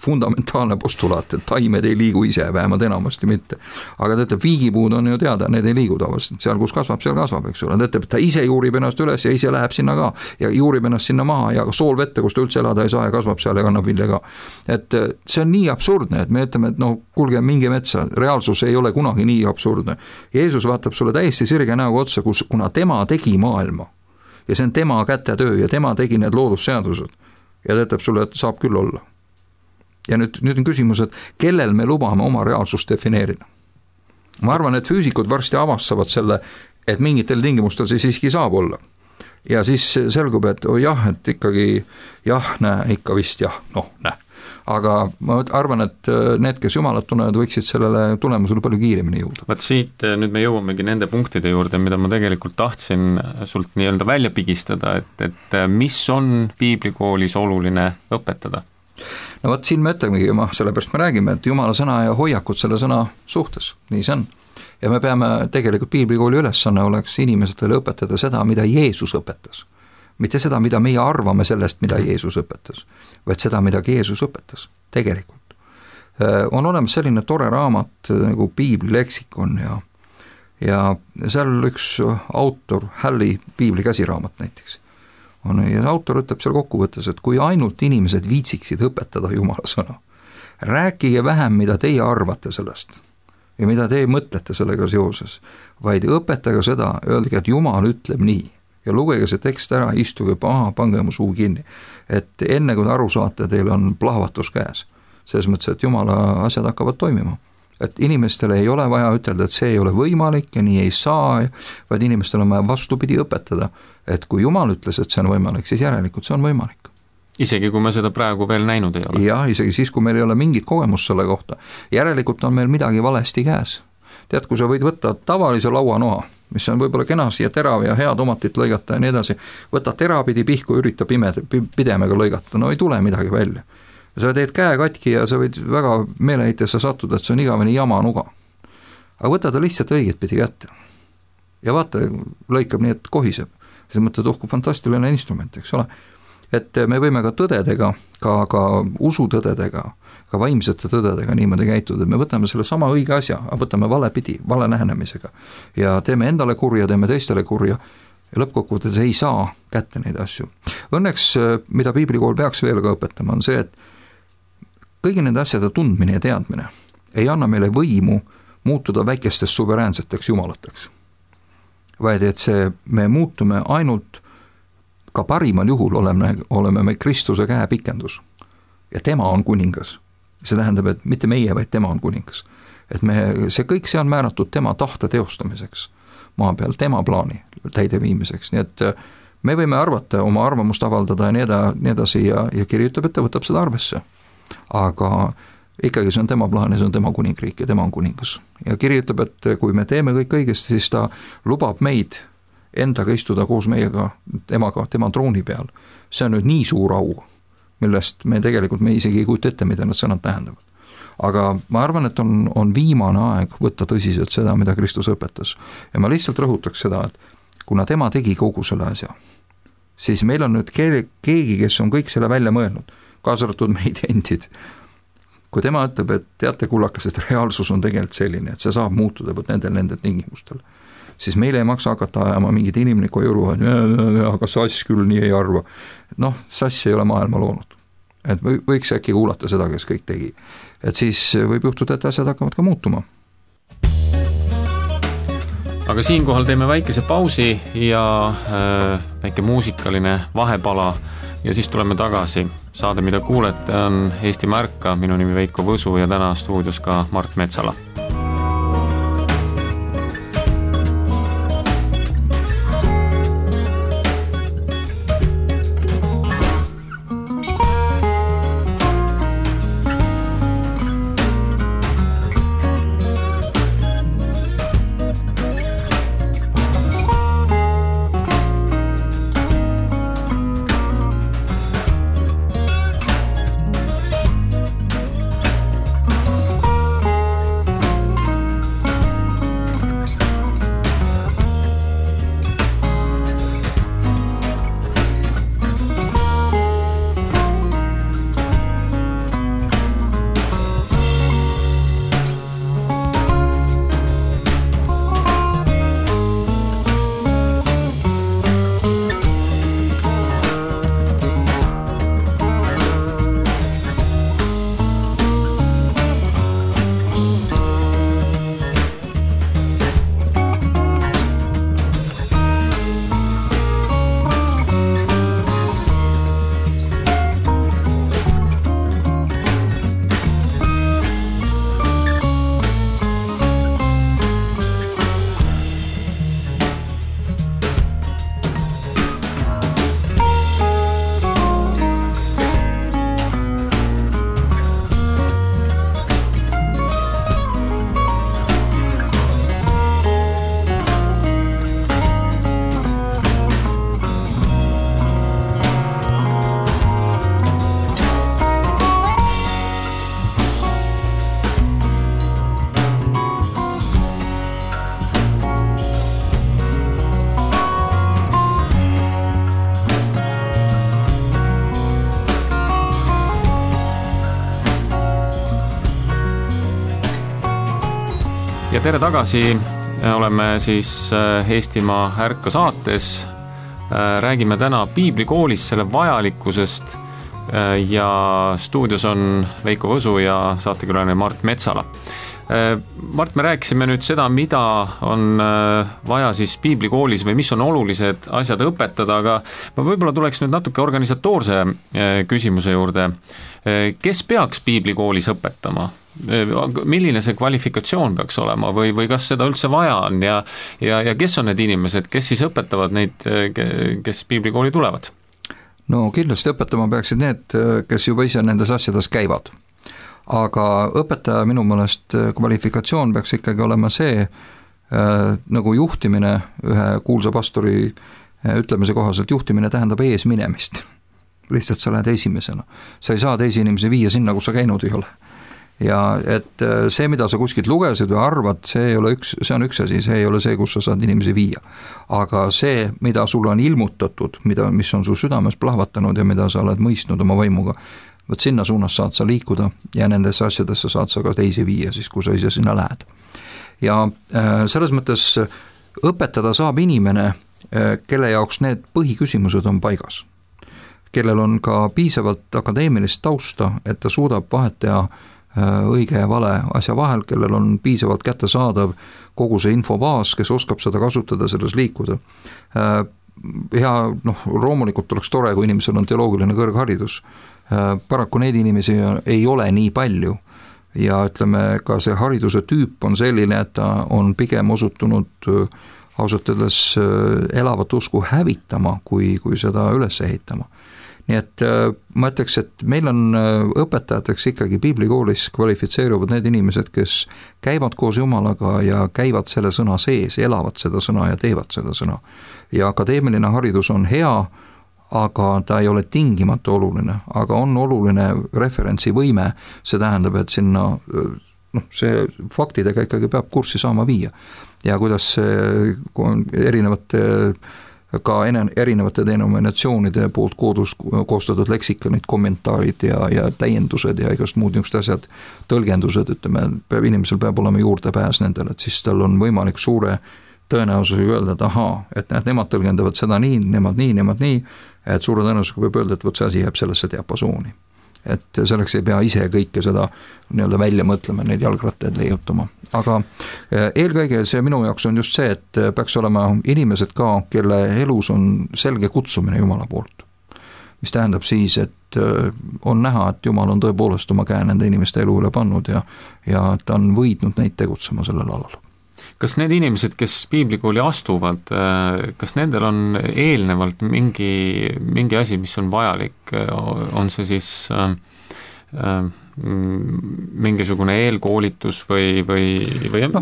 fundamentaalne postulaat, et taimed ei liigu ise, vähemalt enamasti mitte. Aga ta ütleb, viigipuud on ju teada, need ei liigu tavaliselt, seal kus kasvab, eks ole. Ta ütleb, et ta ise juurib ennast üles ja ise läheb sinna ka ja juurib ennast sinna maha ja sool vette, kus ta üldse elada ei saa ja kasvab seal ja kannab vilja ka. Et see on nii absurdne, et me ütleme, et kuulge, minge metsa, reaalsus ei ole kunagi nii absurdne. Jeesus vaatab sulle täiesti sirge näoga otsa, kuna tema tegi maailma ja see on tema kätetöö ja tema tegi need loodusseadused. Ja ta ütleb sulle, et saab küll olla. Ja nüüd on küsimus, et kellel me lubame oma reaalsust defineerida. Ma arvan, et füüsikud varsti avastavad selle, et mingitel tingimustel see siiski saab olla. Ja siis selgub, et et ikkagi ikka vist näe. Aga ma arvan, et need, kes Jumalat tunnevad, võiksid sellele tulemusele palju kiiremini jõuda. Vaat siit nüüd me jõuamegi nende punktide juurde, mida ma tegelikult tahtsin sult nii-öelda välja pigistada, et mis on piiblikoolis oluline õpetada? No vaat siin me ütlemegi, sellepärast me räägime, et Jumala sõna ja hoiakud selle sõna suhtes, nii see on. Ja me peame tegelikult piiblikooli ülesanne oleks inimesetele õpetada seda, mida Jeesus õpetas. Mitte seda, mida meie arvame sellest, mida Jeesus õpetas, vaid seda, mida Jeesus õpetas, tegelikult. On olemas selline tore raamat nagu Piibli leksikon ja seal üks autor, Halli Piibli käsiraamat näiteks, ja autor ütleb seal kokkuvõttes, et kui ainult inimesed viitsiksid õpetada Jumala sõna, rääkige vähem, mida teie arvate sellest ja mida teie mõtlete sellega seoses, vaid õpetage seda, öelge, et Jumal ütleb nii. Ja lugege see tekst ära, istuge pange mu suu kinni. Et enne kui te aru saate, teil on plahvatus käes. Selles mõttes, et Jumala asjad hakkavad toimima. Et inimestele ei ole vaja ütelda, et see ei ole võimalik ja nii ei saa, vaid inimestele on vaja vastupidi õpetada. Et kui Jumal ütles, et see on võimalik, siis järelikult see on võimalik. Isegi kui me seda praegu veel näinud ei ole. Ja, isegi siis, kui meil ei ole mingit kogemust selle kohta. Järelikult on meil midagi valesti käes. Tead, kui sa võid võtta tavalise lauanoa, mis on võib-olla kenasi ja terav ja hea tomatit lõigata ja nii edasi, võta terapidi pihku, ürita pidemega lõigata, no ei tule midagi välja. Sa teed käe katki ja sa võid väga meeleheitesse sattuda, et see on igaveni jama nuga. Aga võta ta lihtsalt õiget pidi kätte. Ja vaata, lõikab nii, et kohiseb. See mõtled, kui fantastiline instrument, eks ole. Et me võime ka tõdedega, ka usutõdedega, ka vaimsete tõdedega niimoodi käituda, et me võtame selle sama õige asja, võtame vale pidi, vale lähenemisega ja teeme endale kurja, teeme teistele kurja ja lõppkokkuvõttes ei saa kätte neid asju. Õnneks, mida piiblikool peaks veel ka õpetama, on see, et kõigi nende asjade tundmine ja teadmine ei anna meile võimu muutuda väikestest suveräänseteks jumalateks, vaid et me muutume ainult ka parimal juhul oleme me Kristuse käe pikendus ja tema on kuningas. See tähendab, et mitte meie, vaid tema on kuningas. Et see on määratud tema tahte teostamiseks maa peal, tema plaani täideviimiseks. Nii et me võime arvata, oma arvamust avaldada ja nii edasi ja kirjutab, et ta võtab seda arvesse. Aga ikkagi see on tema plaan ja see on tema kuningriik ja tema on kuningas. Ja kirjutab, et kui me teeme kõik õigesti, siis ta lubab meid endaga istuda koos meiega, tema trooni peal. See on nüüd nii suur au, millest me isegi ei kujuta ette, mida need sõnad tähendavad. Aga ma arvan, et on viimane aeg võtta tõsiselt seda, mida Kristus õpetas. Ja ma lihtsalt rõhutaks seda, et kuna tema tegi kogu selle asja, siis meil on nüüd keegi, kes on kõik selle välja mõelnud, kaasa arvatud meid endid. Kui tema ütleb, et teate kullakas, et reaalsus on tegelikult selline, et see saab muutuda nendel tingimustel, siis meile ei maksa hakata ajama mingit inimlikku juru, aga sass küll nii ei arva. Sass ei ole maailma loonud. Et võiks äkki kuulata seda, kes kõik tegi. Et siis võib juhtuda, et asjad hakkavad ka muutuma. Aga siinkohal teeme väikese pausi ja väike muusikaline vahepala ja siis tuleme tagasi. Saade, mida kuulete, on Eestimaa Ärka. Minu nimi Veiko Võsu ja täna stuudios ka Mart Metsala. Ja tere tagasi, oleme siis Eestimaa Ärka saates. Räägime täna piiblikoolis selle vajalikkusest ja stuudios on Veiko Võsu ja saatekülaline Mart Metsala. Mart, me rääkisime nüüd seda, mida on vaja siis piiblikoolis või mis on olulised asjad õpetada, aga ma võib-olla tuleks nüüd natuke organisatoorse küsimuse juurde. Kes peaks piiblikoolis õpetama? Milline see kvalifikatsioon peaks olema või kas seda üldse vaja on ja kes on need inimesed, kes siis õpetavad neid, kes piiblikooli tulevad? No kindlasti õpetama peaksid need, kes juba ise nendes asjades käivad. Aga õpetaja minu mõelest kvalifikatsioon peaks ikkagi olema see, nagu juhtimine, ühe kuulsa pastori ütlemise kohaselt, juhtimine tähendab ees minemist. Lihtsalt sa lähed esimesena. Sa ei saa teisi inimesi viia sinna, kus sa käinud ei ole. Ja et see, mida sa kuskilt lugesid või arvad, see on üks asi, see ei ole see, kus sa saad inimesi viia. Aga see, mida sulle on ilmutatud, mis on su südames plahvatanud ja mida sa oled mõistnud oma vaimuga, võt sinna suunas saad sa liikuda ja nendesse asjadesse saad sa ka teisi viia, siis kui sa ise sinna lähed. Ja selles mõttes õpetada saab inimene, kelle jaoks need põhiküsimused on paigas, kellel on ka piisavalt akadeemilist tausta, et ta suudab vahet teha õige ja vale asja vahel, kellel on piisavalt kättesaadav kogu see infobaas, kes oskab seda kasutada, selles liikuda. Ja loomulikult oleks tore, kui inimesel on teoloogiline kõrgharidus. Paraku neid inimesi ei ole nii palju ja ütleme, ka see hariduse tüüp on selline, et ta on pigem osutunud ausalt öeldes elavat usku hävitama, kui seda üles ehitama. Nii et ma ütleks, et meil on õpetajateks ikkagi piiblikoolis kvalifitseeruvad need inimesed, kes käivad koos Jumalaga ja käivad selle sõna sees, elavad seda sõna ja teevad seda sõna. Ja akadeemiline haridus on hea, aga ta ei ole tingimata oluline, aga on oluline referentsivõime, see tähendab, et sinna see faktidega ikkagi peab kurssi saama viia. Ja kuidas erinevate denominatsioonide poolt koostatud leksikonid, kommentaarid ja täiendused ja igast muud niisugused asjad, tõlgendused, ütleme, inimesel peab olema juurdepääs nendele, et siis tal on võimalik suure tõenäosusega öelda, et ahaa, et nemad tõlgendavad seda nii, nemad nii, et suure tõenäosusega võib öelda, et võt see asi jääb sellesse diapasooni. et selleks ei pea ise kõike seda nii-öelda välja mõtlema, neid jalgrattaid leiutama. Aga eelkõige see minu jaoks on just see, et peaks olema inimesed ka, kelle elus on selge kutsumine Jumala poolt. Mis tähendab siis, et on näha, et Jumal on tõepoolest oma käe nende inimeste elu üle pannud ja ta on võidnud neid tegutsema sellel alal. Kas need inimesed, kes piiblikooli astuvad, kas nendel on eelnevalt mingi asi, mis on vajalik, on see siis mingisugune eelkoolitus või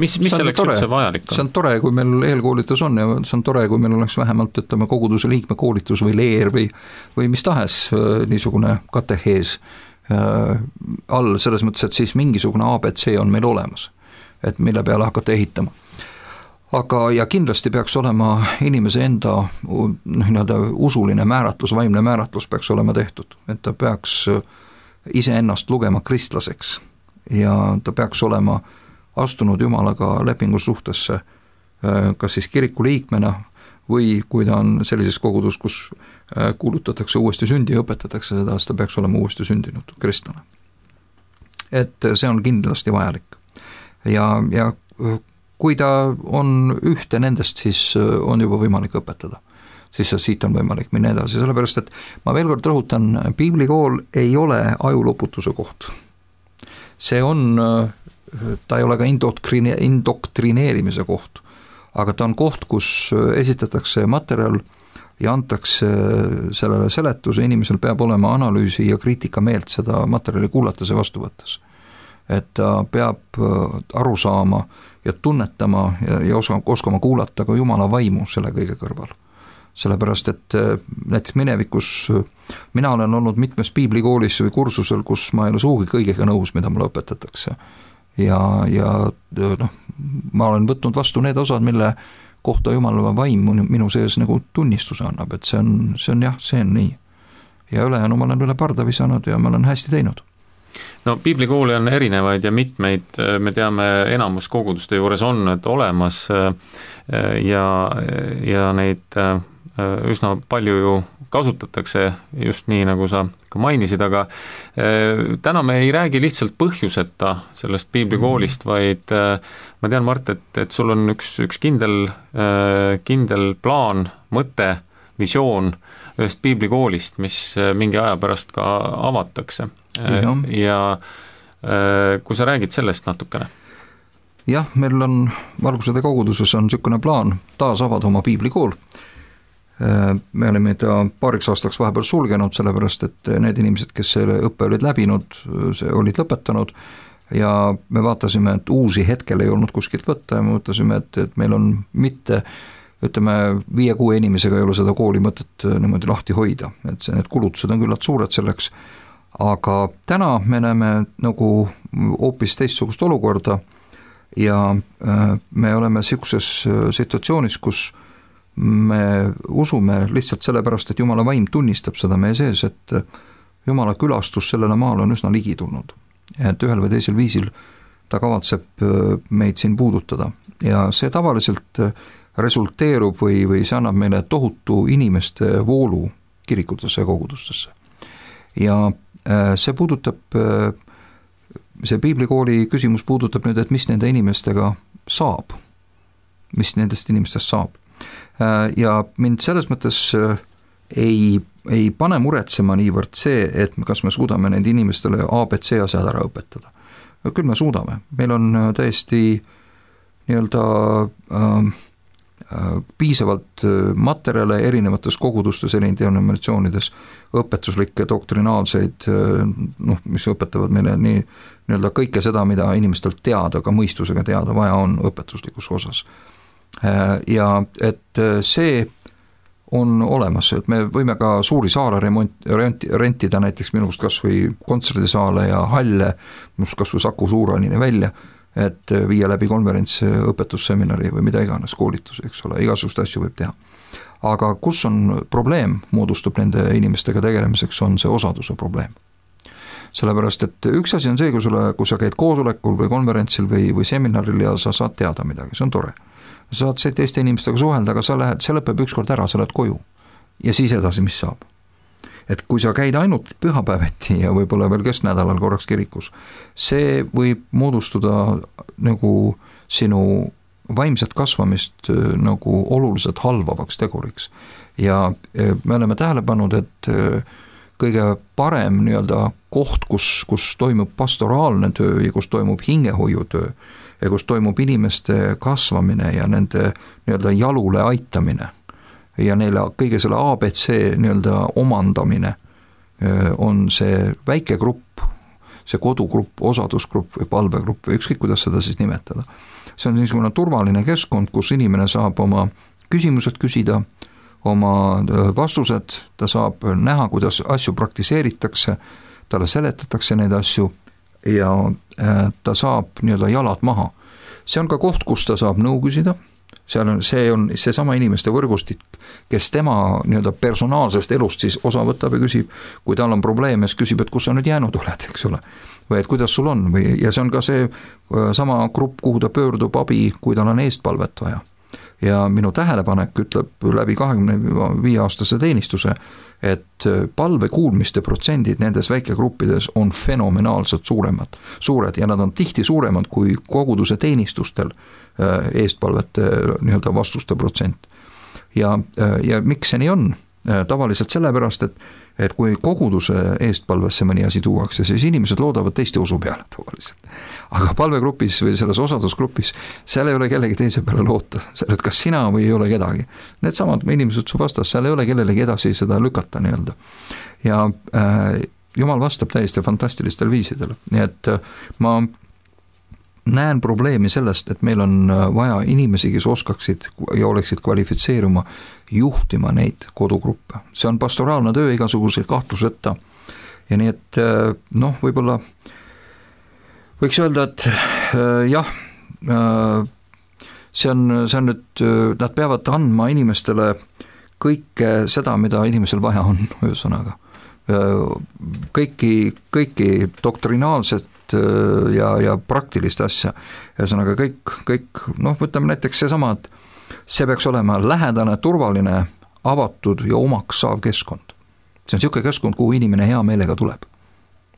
mis selleks üldse vajalik on? See on tore, kui meil eelkoolitus on ja see on tore, kui meil oleks vähemalt koguduse liikmekoolitus või leer või mis tahes niisugune katehees all, selles mõttes, et siis mingisugune ABC on meil olemas, et mille peale hakata ehitama. Aga ja kindlasti peaks olema inimese enda usuline määratlus, vaimne määratlus peaks olema tehtud, et ta peaks iseennast lugema kristlaseks ja ta peaks olema astunud Jumalaga lepingusuhtesse kas siis kiriku liikmena või kui ta on sellises kogudus, kus kuulutatakse uuesti sündi ja õpetatakse seda, siis ta peaks olema uuesti sündinud kristlane. Et see on kindlasti vajalik. Ja kui ta on ühte nendest, siis on juba võimalik õpetada. Siis siit on võimalik minna edasi, sellepärast et ma veel kord rõhutan, piiblikool ei ole ajuloputuse koht. See on, ta ei ole ka indoktrineerimise koht, aga ta on koht, kus esitatakse materjal ja antakse sellele seletuse, inimesel peab olema analüüsi ja kriitika meelt seda materjali kuulates ja vastu võttes. Et ta peab aru saama ja tunnetama ja oskama kuulata ka Jumala vaimu selle kõige kõrval. Sellepärast, et näiteks minevikus mina olen olnud mitmes piiblikoolis või kursusel, kus ma ei ole suugi kõigega nõus, mida mulle õpetatakse. Ja ma olen võtnud vastu need osad, mille kohta Jumala vaim minu sees nagu tunnistuse annab, et see on nii. Ja ülejäänu ma olen üle parda visanud ja ma olen hästi teinud. No piiblikooli on erinevaid ja mitmeid, me teame, enamus koguduste juures on olemas ja neid üsna palju ju kasutatakse just nii, nagu sa ka mainisid, aga täna me ei räägi lihtsalt põhjuseta sellest piiblikoolist, vaid ma tean, Mart, et sul on üks kindel plaan, mõte, visioon ühest piiblikoolist, mis mingi aja pärast ka avatakse. Ja kui sa räägid sellest natukene? Jah, meil on Valgusede koguduses on niisugune plaan taas avada oma piiblikool. Me oleme ta paariks aastaks vahepeal sulgenud, sellepärast et need inimesed, kes selle õppe olid läbinud, olid lõpetanud ja me vaatasime, et uusi hetkel ei olnud kuskilt võtta ja me mõtlasime, et meil on mitte, ütleme, 5-6 inimesega ei ole seda kooli mõtet niimoodi lahti hoida, et need kulutused on küllalt suured selleks, aga täna me näeme nagu hoopis teistsugust olukorda ja me oleme niisuguses situatsioonis, kus me usume lihtsalt sellepärast, et Jumala vaim tunnistab seda meie sees, et Jumala külastus sellele maale on üsna ligi tulnud. Et ühel või teisel viisil ta kavatseb meid siin puudutada ja see tavaliselt resulteerub või see annab meile tohutu inimeste voolu kirikutesse ja kogudustesse. Ja see puudutab, see piiblikooli küsimus puudutab nüüd, et mis nende inimestega saab, mis nendest inimestest saab. Ja mind selles mõttes ei pane muretsema niivõrd see, et kas me suudame nende inimestele ABC asjad ära õpetada. Küll me suudame, meil on täiesti piisavalt materjale erinevates kogudustes, denominatsioonides, õpetuslikke, doktrinaalseid, mis õpetavad meile nii kõike seda, mida inimestelt teada, ka mõistusega teada vaja on õpetuslikus osas. Ja et see on olemas, et me võime ka suuri saale rentida näiteks minust kas või kontserdisaale ja halle, kas või Saku Suuranini välja, et viia läbi konverents, õpetusseminari või mida iganes, koolitus, eks ole, igasugust asju võib teha. Aga kus on probleem, moodustub nende inimestega tegelemiseks, on see osaduse probleem. Sellepärast, et üks asi on see, kui sa käid koosolekul või konverentsil või seminaril ja sa saad teada midagi, see on tore. Sa saad teiste inimestega suhelda, aga see lõpeb ükskord ära, sa lähed koju. Ja siis edasi, mis saab? et kui sa käid ainult pühapäeviti ja võib-olla veel kesknädalal korraks kirikus, see võib moodustuda nagu sinu vaimset kasvamist nagu oluliselt halvavaks teguriks. Ja me oleme tähele pannud, et kõige parem nii-öelda koht, kus toimub pastoraalne töö ja kus toimub hingehoiutöö ja kus toimub inimeste kasvamine ja nende nii-öelda jalule aitamine ja neile kõige selle ABC nii-öelda omandamine, on see väike grupp, see kodugrupp, osadusgrupp või palvegrupp või ükskõik, kuidas seda siis nimetada. See on niisugune turvaline keskkond, kus inimene saab oma küsimused küsida, oma vastused, ta saab näha, kuidas asju praktiseeritakse, talle seletatakse neid asju ja ta saab nii-öelda jalad maha. See on ka koht, kus ta saab nõu küsida, see on seesama inimeste võrgustik, kes tema nii-öelda personaalsest elust siis osa võtab ja küsib, kui tal on probleeme, siis küsib, et kus sa nüüd jäänud oled, eks ole, või et kuidas sul on, ja see on ka see sama grupp, kuhu ta pöördub abi, kui tal on eestpalvet vaja. Ja minu tähelepanek ütleb läbi 25-aastase teenistuse, et palve kuulmiste protsendid nendes väikegruppides on fenomenaalselt suured ja nad on tihti suuremad kui koguduse teenistustel eestpalvete nii-öelda vastuste protsent. Ja miks see nii on? Tavaliselt sellepärast, et kui koguduse eestpalvesse mõni asi tuuakse, siis inimesed loodavad teiste usu peale tavaliselt. Aga palvegrupis või selles osadusgrupis, seal ei ole kellegi teise peale loota, et kas sina või ei ole kedagi. Need samad inimesed su vastas, seal ei ole kellelegi edasi seda lükata nii-öelda. Ja Jumal vastab täiesti fantastilistel viisidel. Nii et ma näen probleemi sellest, et meil on vaja inimesi, kes oskaksid ja oleksid kvalifitseeruma juhtima neid kodugruppe. See on pastoraalne töö igasuguse kahtluseta. Ja nii et võib-olla võiks öelda, et jah, see on nüüd, nad peavad andma inimestele kõike seda, mida inimesel vaja on, ühesõnaga. Kõiki doktrinaalset ja praktilist asja. Ühesõnaga kõik, võtame näiteks seesama, et see peaks olema lähedane, turvaline, avatud ja omaks saav keskkond. See on niisugune keskkond, kuhu inimene hea meelega tuleb.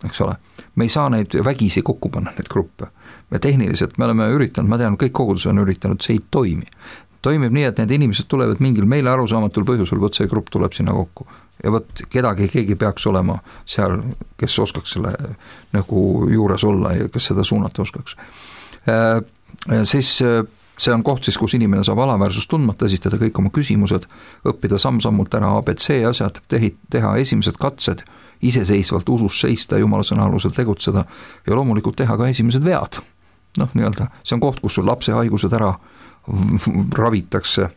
Eks ole? Me ei saa neid vägisi kokku panna, neid gruppe. Me tehniliselt me oleme üritanud, ma tean, kõik kogudus on üritanud, see ei toimi. Toimib nii, et need inimesed tulevad mingil meile arusaamatul põhjusel, võt see grupp tuleb sinna kokku. Ja võt keegi peaks olema seal, kes oskaks selle nagu juures olla ja kes seda suunata oskaks. Siis see on koht siis, kus inimene saab alaväärsust tundmata, esitada kõik oma küsimused, õppida samm-sammult ära ABC asjad, teha esimesed katsed, iseseisvalt usus seista, Jumala sõna alusel tegutseda ja loomulikult teha ka esimesed vead. Nii-öelda, see on koht, kus sul lapse haigused ära ravitakse.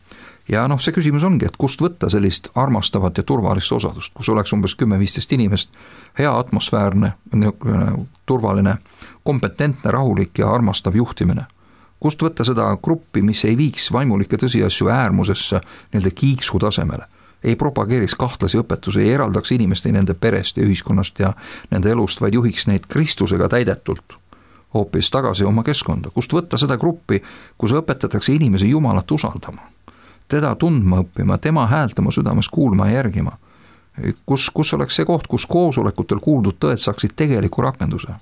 Ja see küsimus ongi, et kust võtta sellist armastavat ja turvalist osadust, kus oleks umbes 10-15 inimest, hea atmosfäärne, turvaline, kompetentne, rahulik ja armastav juhtimine. Kust võtta seda gruppi, mis ei viiks vaimulikke tõsiasju äärmusesse nende kiiksu tasemele, ei propageeriks kahtlasi õpetusi, ei eraldaks inimeste nende perest ja ühiskonnast ja nende elust, vaid juhiks neid Kristusega täidetult hoopis tagasi oma keskkonda. Kust võtta seda gruppi, kus õpetatakse inimesi Jumalat usaldama, teda tundma õppima, tema häält oma südames kuulma ja järgima. Kus oleks see koht, kus koosolekutel kuuldud tõed saaksid tegeliku rakenduse?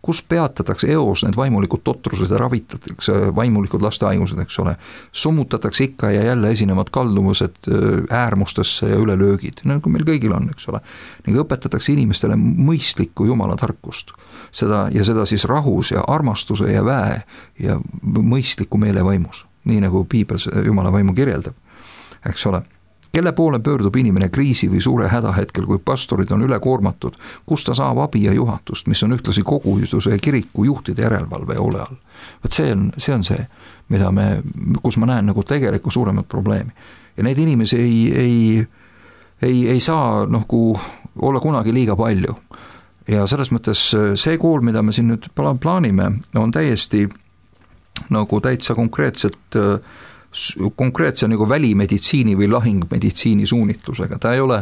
Kus peatatakse eos need vaimulikud totrused ja ravitatakse vaimulikud lastehaigused, eks ole? Summutatakse ikka ja jälle esinevad kalduvused äärmustesse ja ülelöögid, nagu meil kõigil on, eks ole. Ning õpetatakse inimestele mõistlikku Jumala tarkust. Seda siis rahus ja armastuse ja väe ja mõistliku meelevaimus. Nii nagu Piibel Jumala vaimu kirjeldab, eks ole. Kelle poole pöördub inimene kriisi või suure hädahetkel, kui pastorid on ülekoormatud, kus ta saab abi ja juhatust, mis on ühtlasi koguduse ja kiriku juhtide järelevalve ja ole all. See on see, kus ma näen nagu tegelikult suuremat probleemi. Ja neid inimesi ei saa olla kunagi liiga palju. Ja selles mõttes see kool, mida me siin nüüd plaanime, on täiesti nagu täitsa konkreetse nagu välimeditsiini või lahingmeditsiini suunitlusega. Ta ei ole,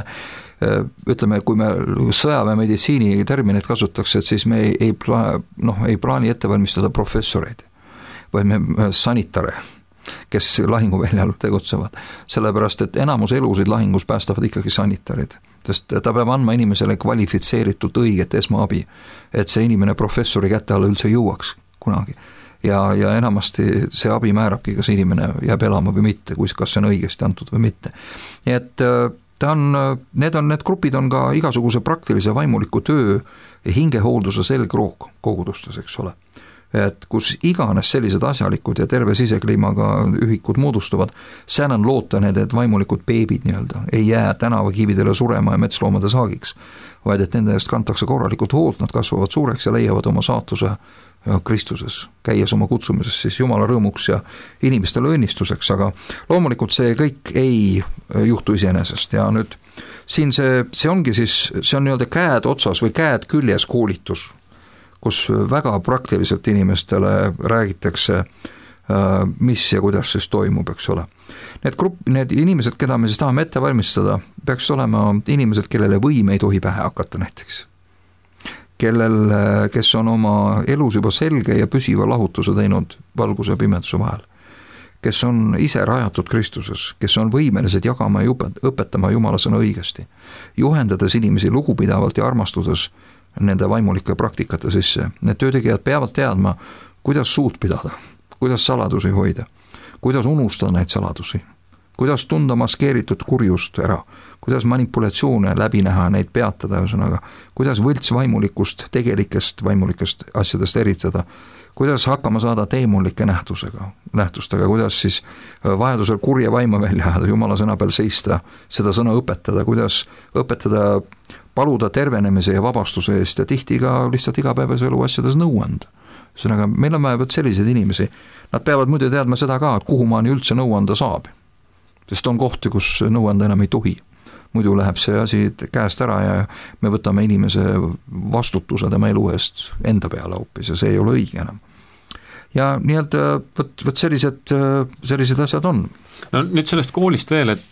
ütleme, kui me sõjaväemeditsiini termineid kasutatakse, et siis me ei plaani ette valmistada professoreid, vaid me sanitare, kes lahinguväljal tegutsevad, sellepärast et enamus elusid lahingus päästavad ikkagi sanitarid, sest ta peab andma inimesele kvalifitseeritud õiget esmaabi, et see inimene professori kätte alla üldse jõuaks kunagi. Ja enamasti see abi määrabki, kas inimene jääb elama või mitte, kas see on õigesti antud või mitte. Nii et need grupid on ka igasuguse praktilise vaimuliku töö ja hingehoolduse selgroog kogudustes, eks ole. Et kus iganes sellised asjalikud ja terve sisekliimaga ühikud moodustuvad, seal on loota need vaimulikud beebid nii-öelda, ei jää tänavakividele surema ja metsloomade saagiks, vaid et nende eest kantakse korralikult hoolt, nad kasvavad suureks ja leiavad oma saatuse Kristuses, käies oma kutsumises siis Jumala rõõmuks ja inimestele õnnistuseks, aga loomulikult see kõik ei juhtu iseenesest ja nüüd siin see ongi siis, see on nii-öelda käed otsas või käed küljes koolitus, kus väga praktiliselt inimestele räägitakse, mis ja kuidas siis toimub, eks ole. Need inimesed, keda me siis tahame ette valmistada, peaks olema inimesed, kellele võim ei tohi pähe hakata näiteks. Kes on oma elus juba selge ja püsiva lahutuse teinud valguse ja pimeduse vahel. Kes on ise rajatud Kristuses, kes on võimelised jagama ja õpetama Jumala sõna õigesti, juhendades inimesi lugupidavalt ja armastudes nende vaimulike praktikate sisse. Need töötegijad peavad teadma, kuidas suud pidada, kuidas saladusi hoida, kuidas unustada neid saladusi, kuidas tunda maskeeritud kurjust ära, kuidas manipulatsioone läbi näha, neid peatada, ühesõnaga, kuidas võlts vaimulikust tegelikest vaimulikest asjadest eritada, kuidas hakkama saada teemonlike nähtustega, kuidas siis vajadusel kurja vaima välja ajada, Jumala sõna peal seista, seda sõna õpetada, kuidas õpetada paluda tervenemise ja vabastuse eest ja tihti ka lihtsalt igapäevase elu asjades nõu anda. Ühesõnaga, meil on vaja selliseid inimesi, nad peavad muidu teadma seda ka, et kuhu maani üldse nõu anda saab. Sest on kohti, kus nõu anda enam ei tohi. Muidu läheb see asi käest ära ja me võtame inimese vastutuse tema elu eest enda peale hoopis ja see ei ole õige enam. Ja nii-öelda võt sellised asjad on. No nüüd sellest koolist veel, et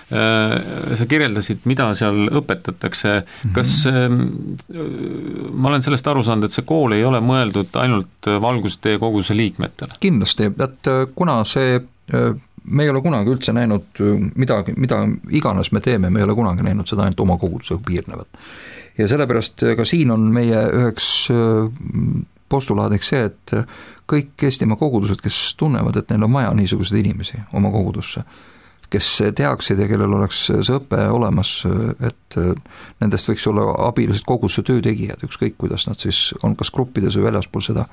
sa kirjeldasid, mida seal õpetatakse. Kas ma olen sellest aru saanud, et see kool ei ole mõeldud ainult valgustee koguduse liikmetele? Kindlasti, et kuna me ei ole kunagi üldse näinud mida iganes me teeme, me ei ole kunagi näinud seda ainult oma koguduse piirnevat. Ja sellepärast ka siin on meie üheks postulaadiks see, et kõik Eestimaa kogudused, kes tunnevad, et neil on vaja niisuguseid inimesi oma kogudusse, kes teaksid ja kellel oleks see õpe olemas, et nendest võiks olla abilised koguduse töötegijad, ükskõik kuidas nad siis on kas gruppides või väljaspool seda.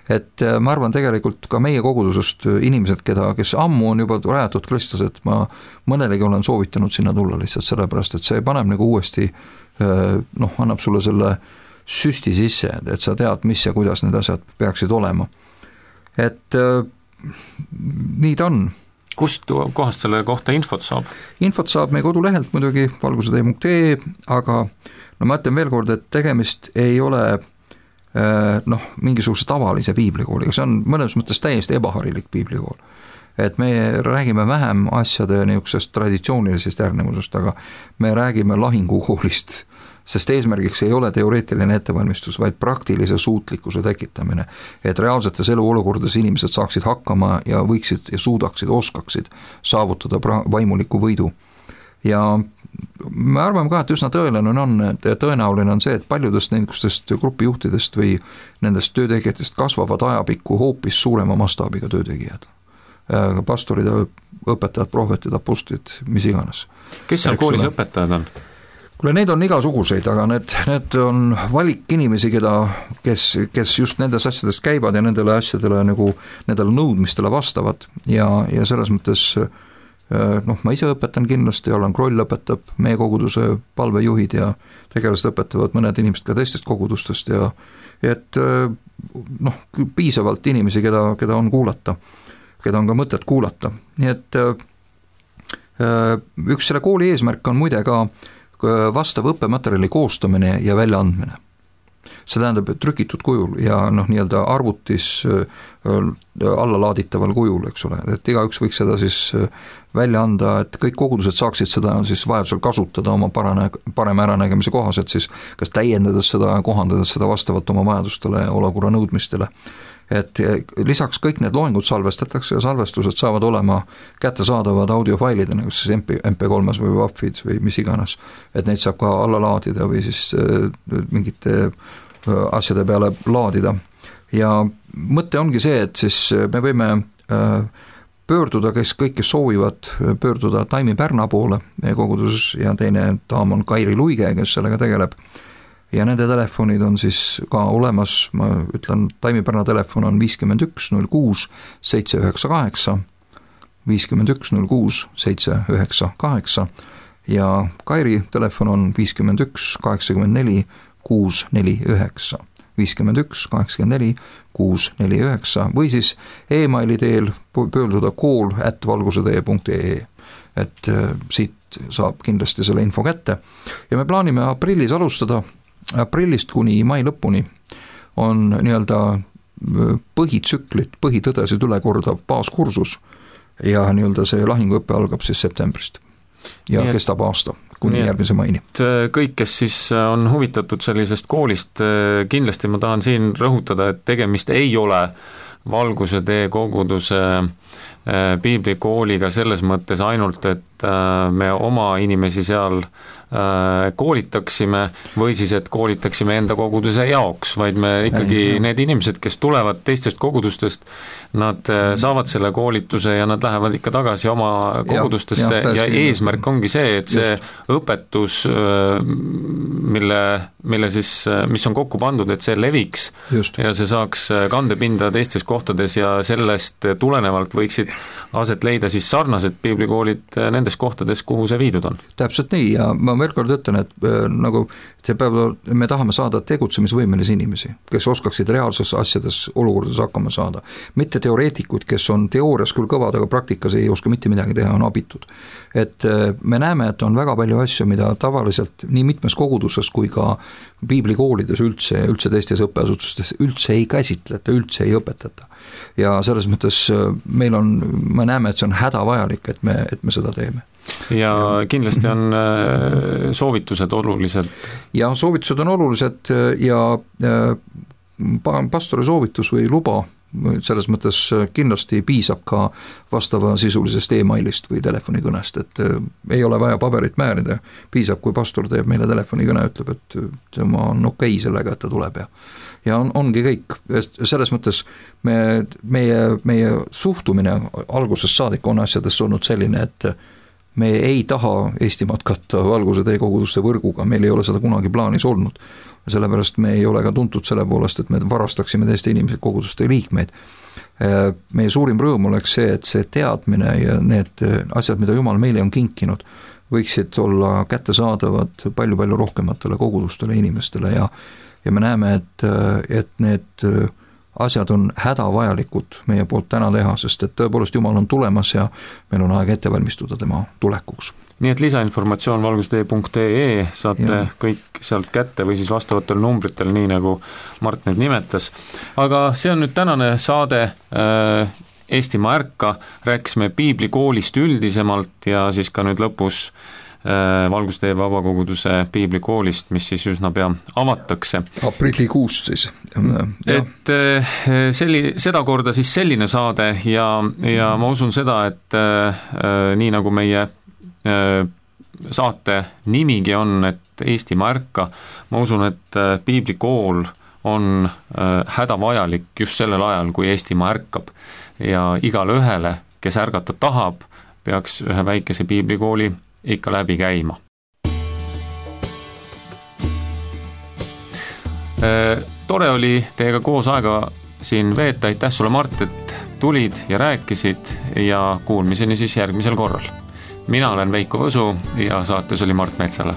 Et ma arvan tegelikult ka meie kogudusest inimesed, kes ammu on juba rajatud Kristus, et ma mõnelegi olen soovitanud sinna tulla lihtsalt sellepärast, et see paneb nagu uuesti, annab sulle selle süsti sisse, et sa tead, mis ja kuidas need asjad peaksid olema. Et nii ta on. Kust kohast selle kohta infot saab? Infot saab meie kodulehelt muidugi valgusetee.ee, aga ma ütlen veel kord, et tegemist ei ole mingisuguse tavalise piiblikooliga, see on mõnes mõttes täiesti ebaharilik piiblikool. Et me räägime vähem asjade niisugusest traditsioonilisest järgnevusest, aga me räägime lahingukoolist, sest eesmärgiks ei ole teoreetiline ettevalmistus, vaid praktilise suutlikkuse tekitamine, et reaalsetes eluolukordades inimesed saaksid hakkama ja võiksid ja suudaksid, oskaksid saavutada vaimuliku võidu. Ja me arvame ka, et üsna tõenäoline on see, et paljudest nendest grupijuhtidest või nendest töötegijatest kasvavad ajapikku hoopis suurema mastaabiga töötegijad. Pastorid, õpetajad, prohvetid, apostlid, mis iganes. Kes seal koolis õpetajad on? Kuule, neid on igasuguseid, aga need on valik inimesi, kes just nendes asjadest käivad ja nendele asjadele nendele nõudmistele vastavad ja selles mõttes ma ise õpetan kindlasti, Allan Kroll õpetab, meie koguduse palvejuhid ja tegelased õpetavad mõned inimesed ka teistest kogudustest ja et piisavalt inimesi, keda on kuulata, keda on ka mõtet kuulata. Nii et üks selle kooli eesmärk on muide ka vastav õppematerjali koostamine ja väljaandmine. See tähendab trükitud kujul ja nii-öelda arvutis allalaaditaval kujul, eks ole, et igaüks võiks seda siis välja anda, et kõik kogudused saaksid seda siis vajadusel kasutada oma parema äranägemise kohaselt siis kas täiendades seda ja kohandades seda vastavalt oma vajadustele ja olukorra nõudmistele. et lisaks kõik need loengud salvestatakse ja salvestused saavad olema kättesaadavad audiofailidena, kas siis MP3-s või WAV-id või mis iganes, et neid saab ka alla laadida või siis mingite asjade peale laadida. Ja mõte ongi see, et siis me võime pöörduda, kes soovivad pöörduda Taimi Pärna poole meie koguduses ja teine daam on Kairi Luige, kes sellega tegeleb. Ja nende telefonid on siis ka olemas, ma ütlen, Taimi Pärna telefon on 51 06 798, 51 06 798 ja Kairi telefon on 51 84 649. 51 84 649 või siis e-maili teel pöörduda kool@valgusetee.ee, et siit saab kindlasti selle info kätte. Ja me plaanime aprillis alustada, aprillist kuni mai lõpuni on nii-öelda põhitsüklit, põhitõdesid üle kordav baaskursus ja nii-öelda see lahinguõppe algab siis septembrist ja kestab aasta kuni järgmise maini. Kõik, kes siis on huvitatud sellisest koolist, kindlasti ma tahan siin rõhutada, et tegemist ei ole Valguse tee koguduse piiblikooliga selles mõttes ainult, et me oma inimesi seal koolitaksime või siis, et koolitaksime enda koguduse jaoks, vaid me ikkagi need inimesed, kes tulevad teistest kogudustest, nad saavad selle koolituse ja nad lähevad ikka tagasi oma kogudustesse ja eesmärk ongi see, et see õpetus, mille siis, mis on kokku pandud, et see leviks ja see saaks kandepinda teistes kohtades ja sellest tulenevalt võiksid aset leida siis sarnased piiblikoolid nendes kohtades, kuhu see viidud on. Täpselt nii ja ma veel kord ütlen, et nagu me tahame saada tegutsemisvõimelisi inimesi, kes oskaksid reaalses asjades olukordades hakkama saada. Mitte teoreetikud, kes on teoorias küll kõvad, aga praktikas ei oska mitte midagi teha, on abitud. Et me näeme, et on väga palju asju, mida tavaliselt nii mitmes koguduses kui ka piiblikoolides üldse teistes õppeasutustes üldse ei käsitleta, üldse ei õpetata. Ja selles mõttes me näeme, et see on hädavajalik, et me seda teeme. Ja kindlasti on soovitused olulised. Ja soovitused on olulised ja pastori soovitus või luba selles mõttes kindlasti piisab ka vastava sisulisest e-mailist või telefonikõnest, et ei ole vaja paberit määrida, piisab, kui pastor teeb meile telefonikõne, ütleb, et tema on okei sellega, et ta tuleb ja ongi kõik. Selles mõttes meie suhtumine algusest saadik on asjadest olnud selline, et me ei taha Eestimaad katta Valguse tee koguduste võrguga, meil ei ole seda kunagi plaanis olnud. Sellepärast me ei ole ka tuntud selle poolest, et me varastaksime teiste inimesed koguduste liikmeid. Meie suurim rõõm oleks see, et see teadmine ja need asjad, mida Jumal meile on kinkinud, võiksid olla kättesaadavad palju-palju rohkematele kogudustele inimestele ja me näeme, et need asjad on hädavajalikud meie poolt täna teha, sest et tõepoolest Jumal on tulemas ja meil on aeg ette valmistuda tema tulekuks. Nii et lisainformatsioon valgusetee.ee saate kõik sealt kätte või siis vastavatel numbritel, nii nagu Mart need nimetas. Aga see on nüüd tänane saade Eestimaa ärka, rääkisime piiblikoolist üldisemalt ja siis ka nüüd lõpus Valguse tee vabakoguduse piiblikoolist, mis siis üsna pea avatakse. Aprillikuust siis. Et seda korda siis selline saade ja ma usun seda, et nii nagu meie saate nimigi on, et Eestimaa ärka, ma usun, et piiblikool on hädavajalik just sellel ajal, kui Eestimaa ärkab ja igale ühele, kes ärgata tahab, peaks ühe väikese piiblikooli ikka läbi käima. Tore oli teiega koos aega siin veeta, aitäh sulle Mart, et tulid ja rääkisid ja kuulmiseni siis järgmisel korral. Mina olen Veiko Võsu ja saates oli Mart Metsala.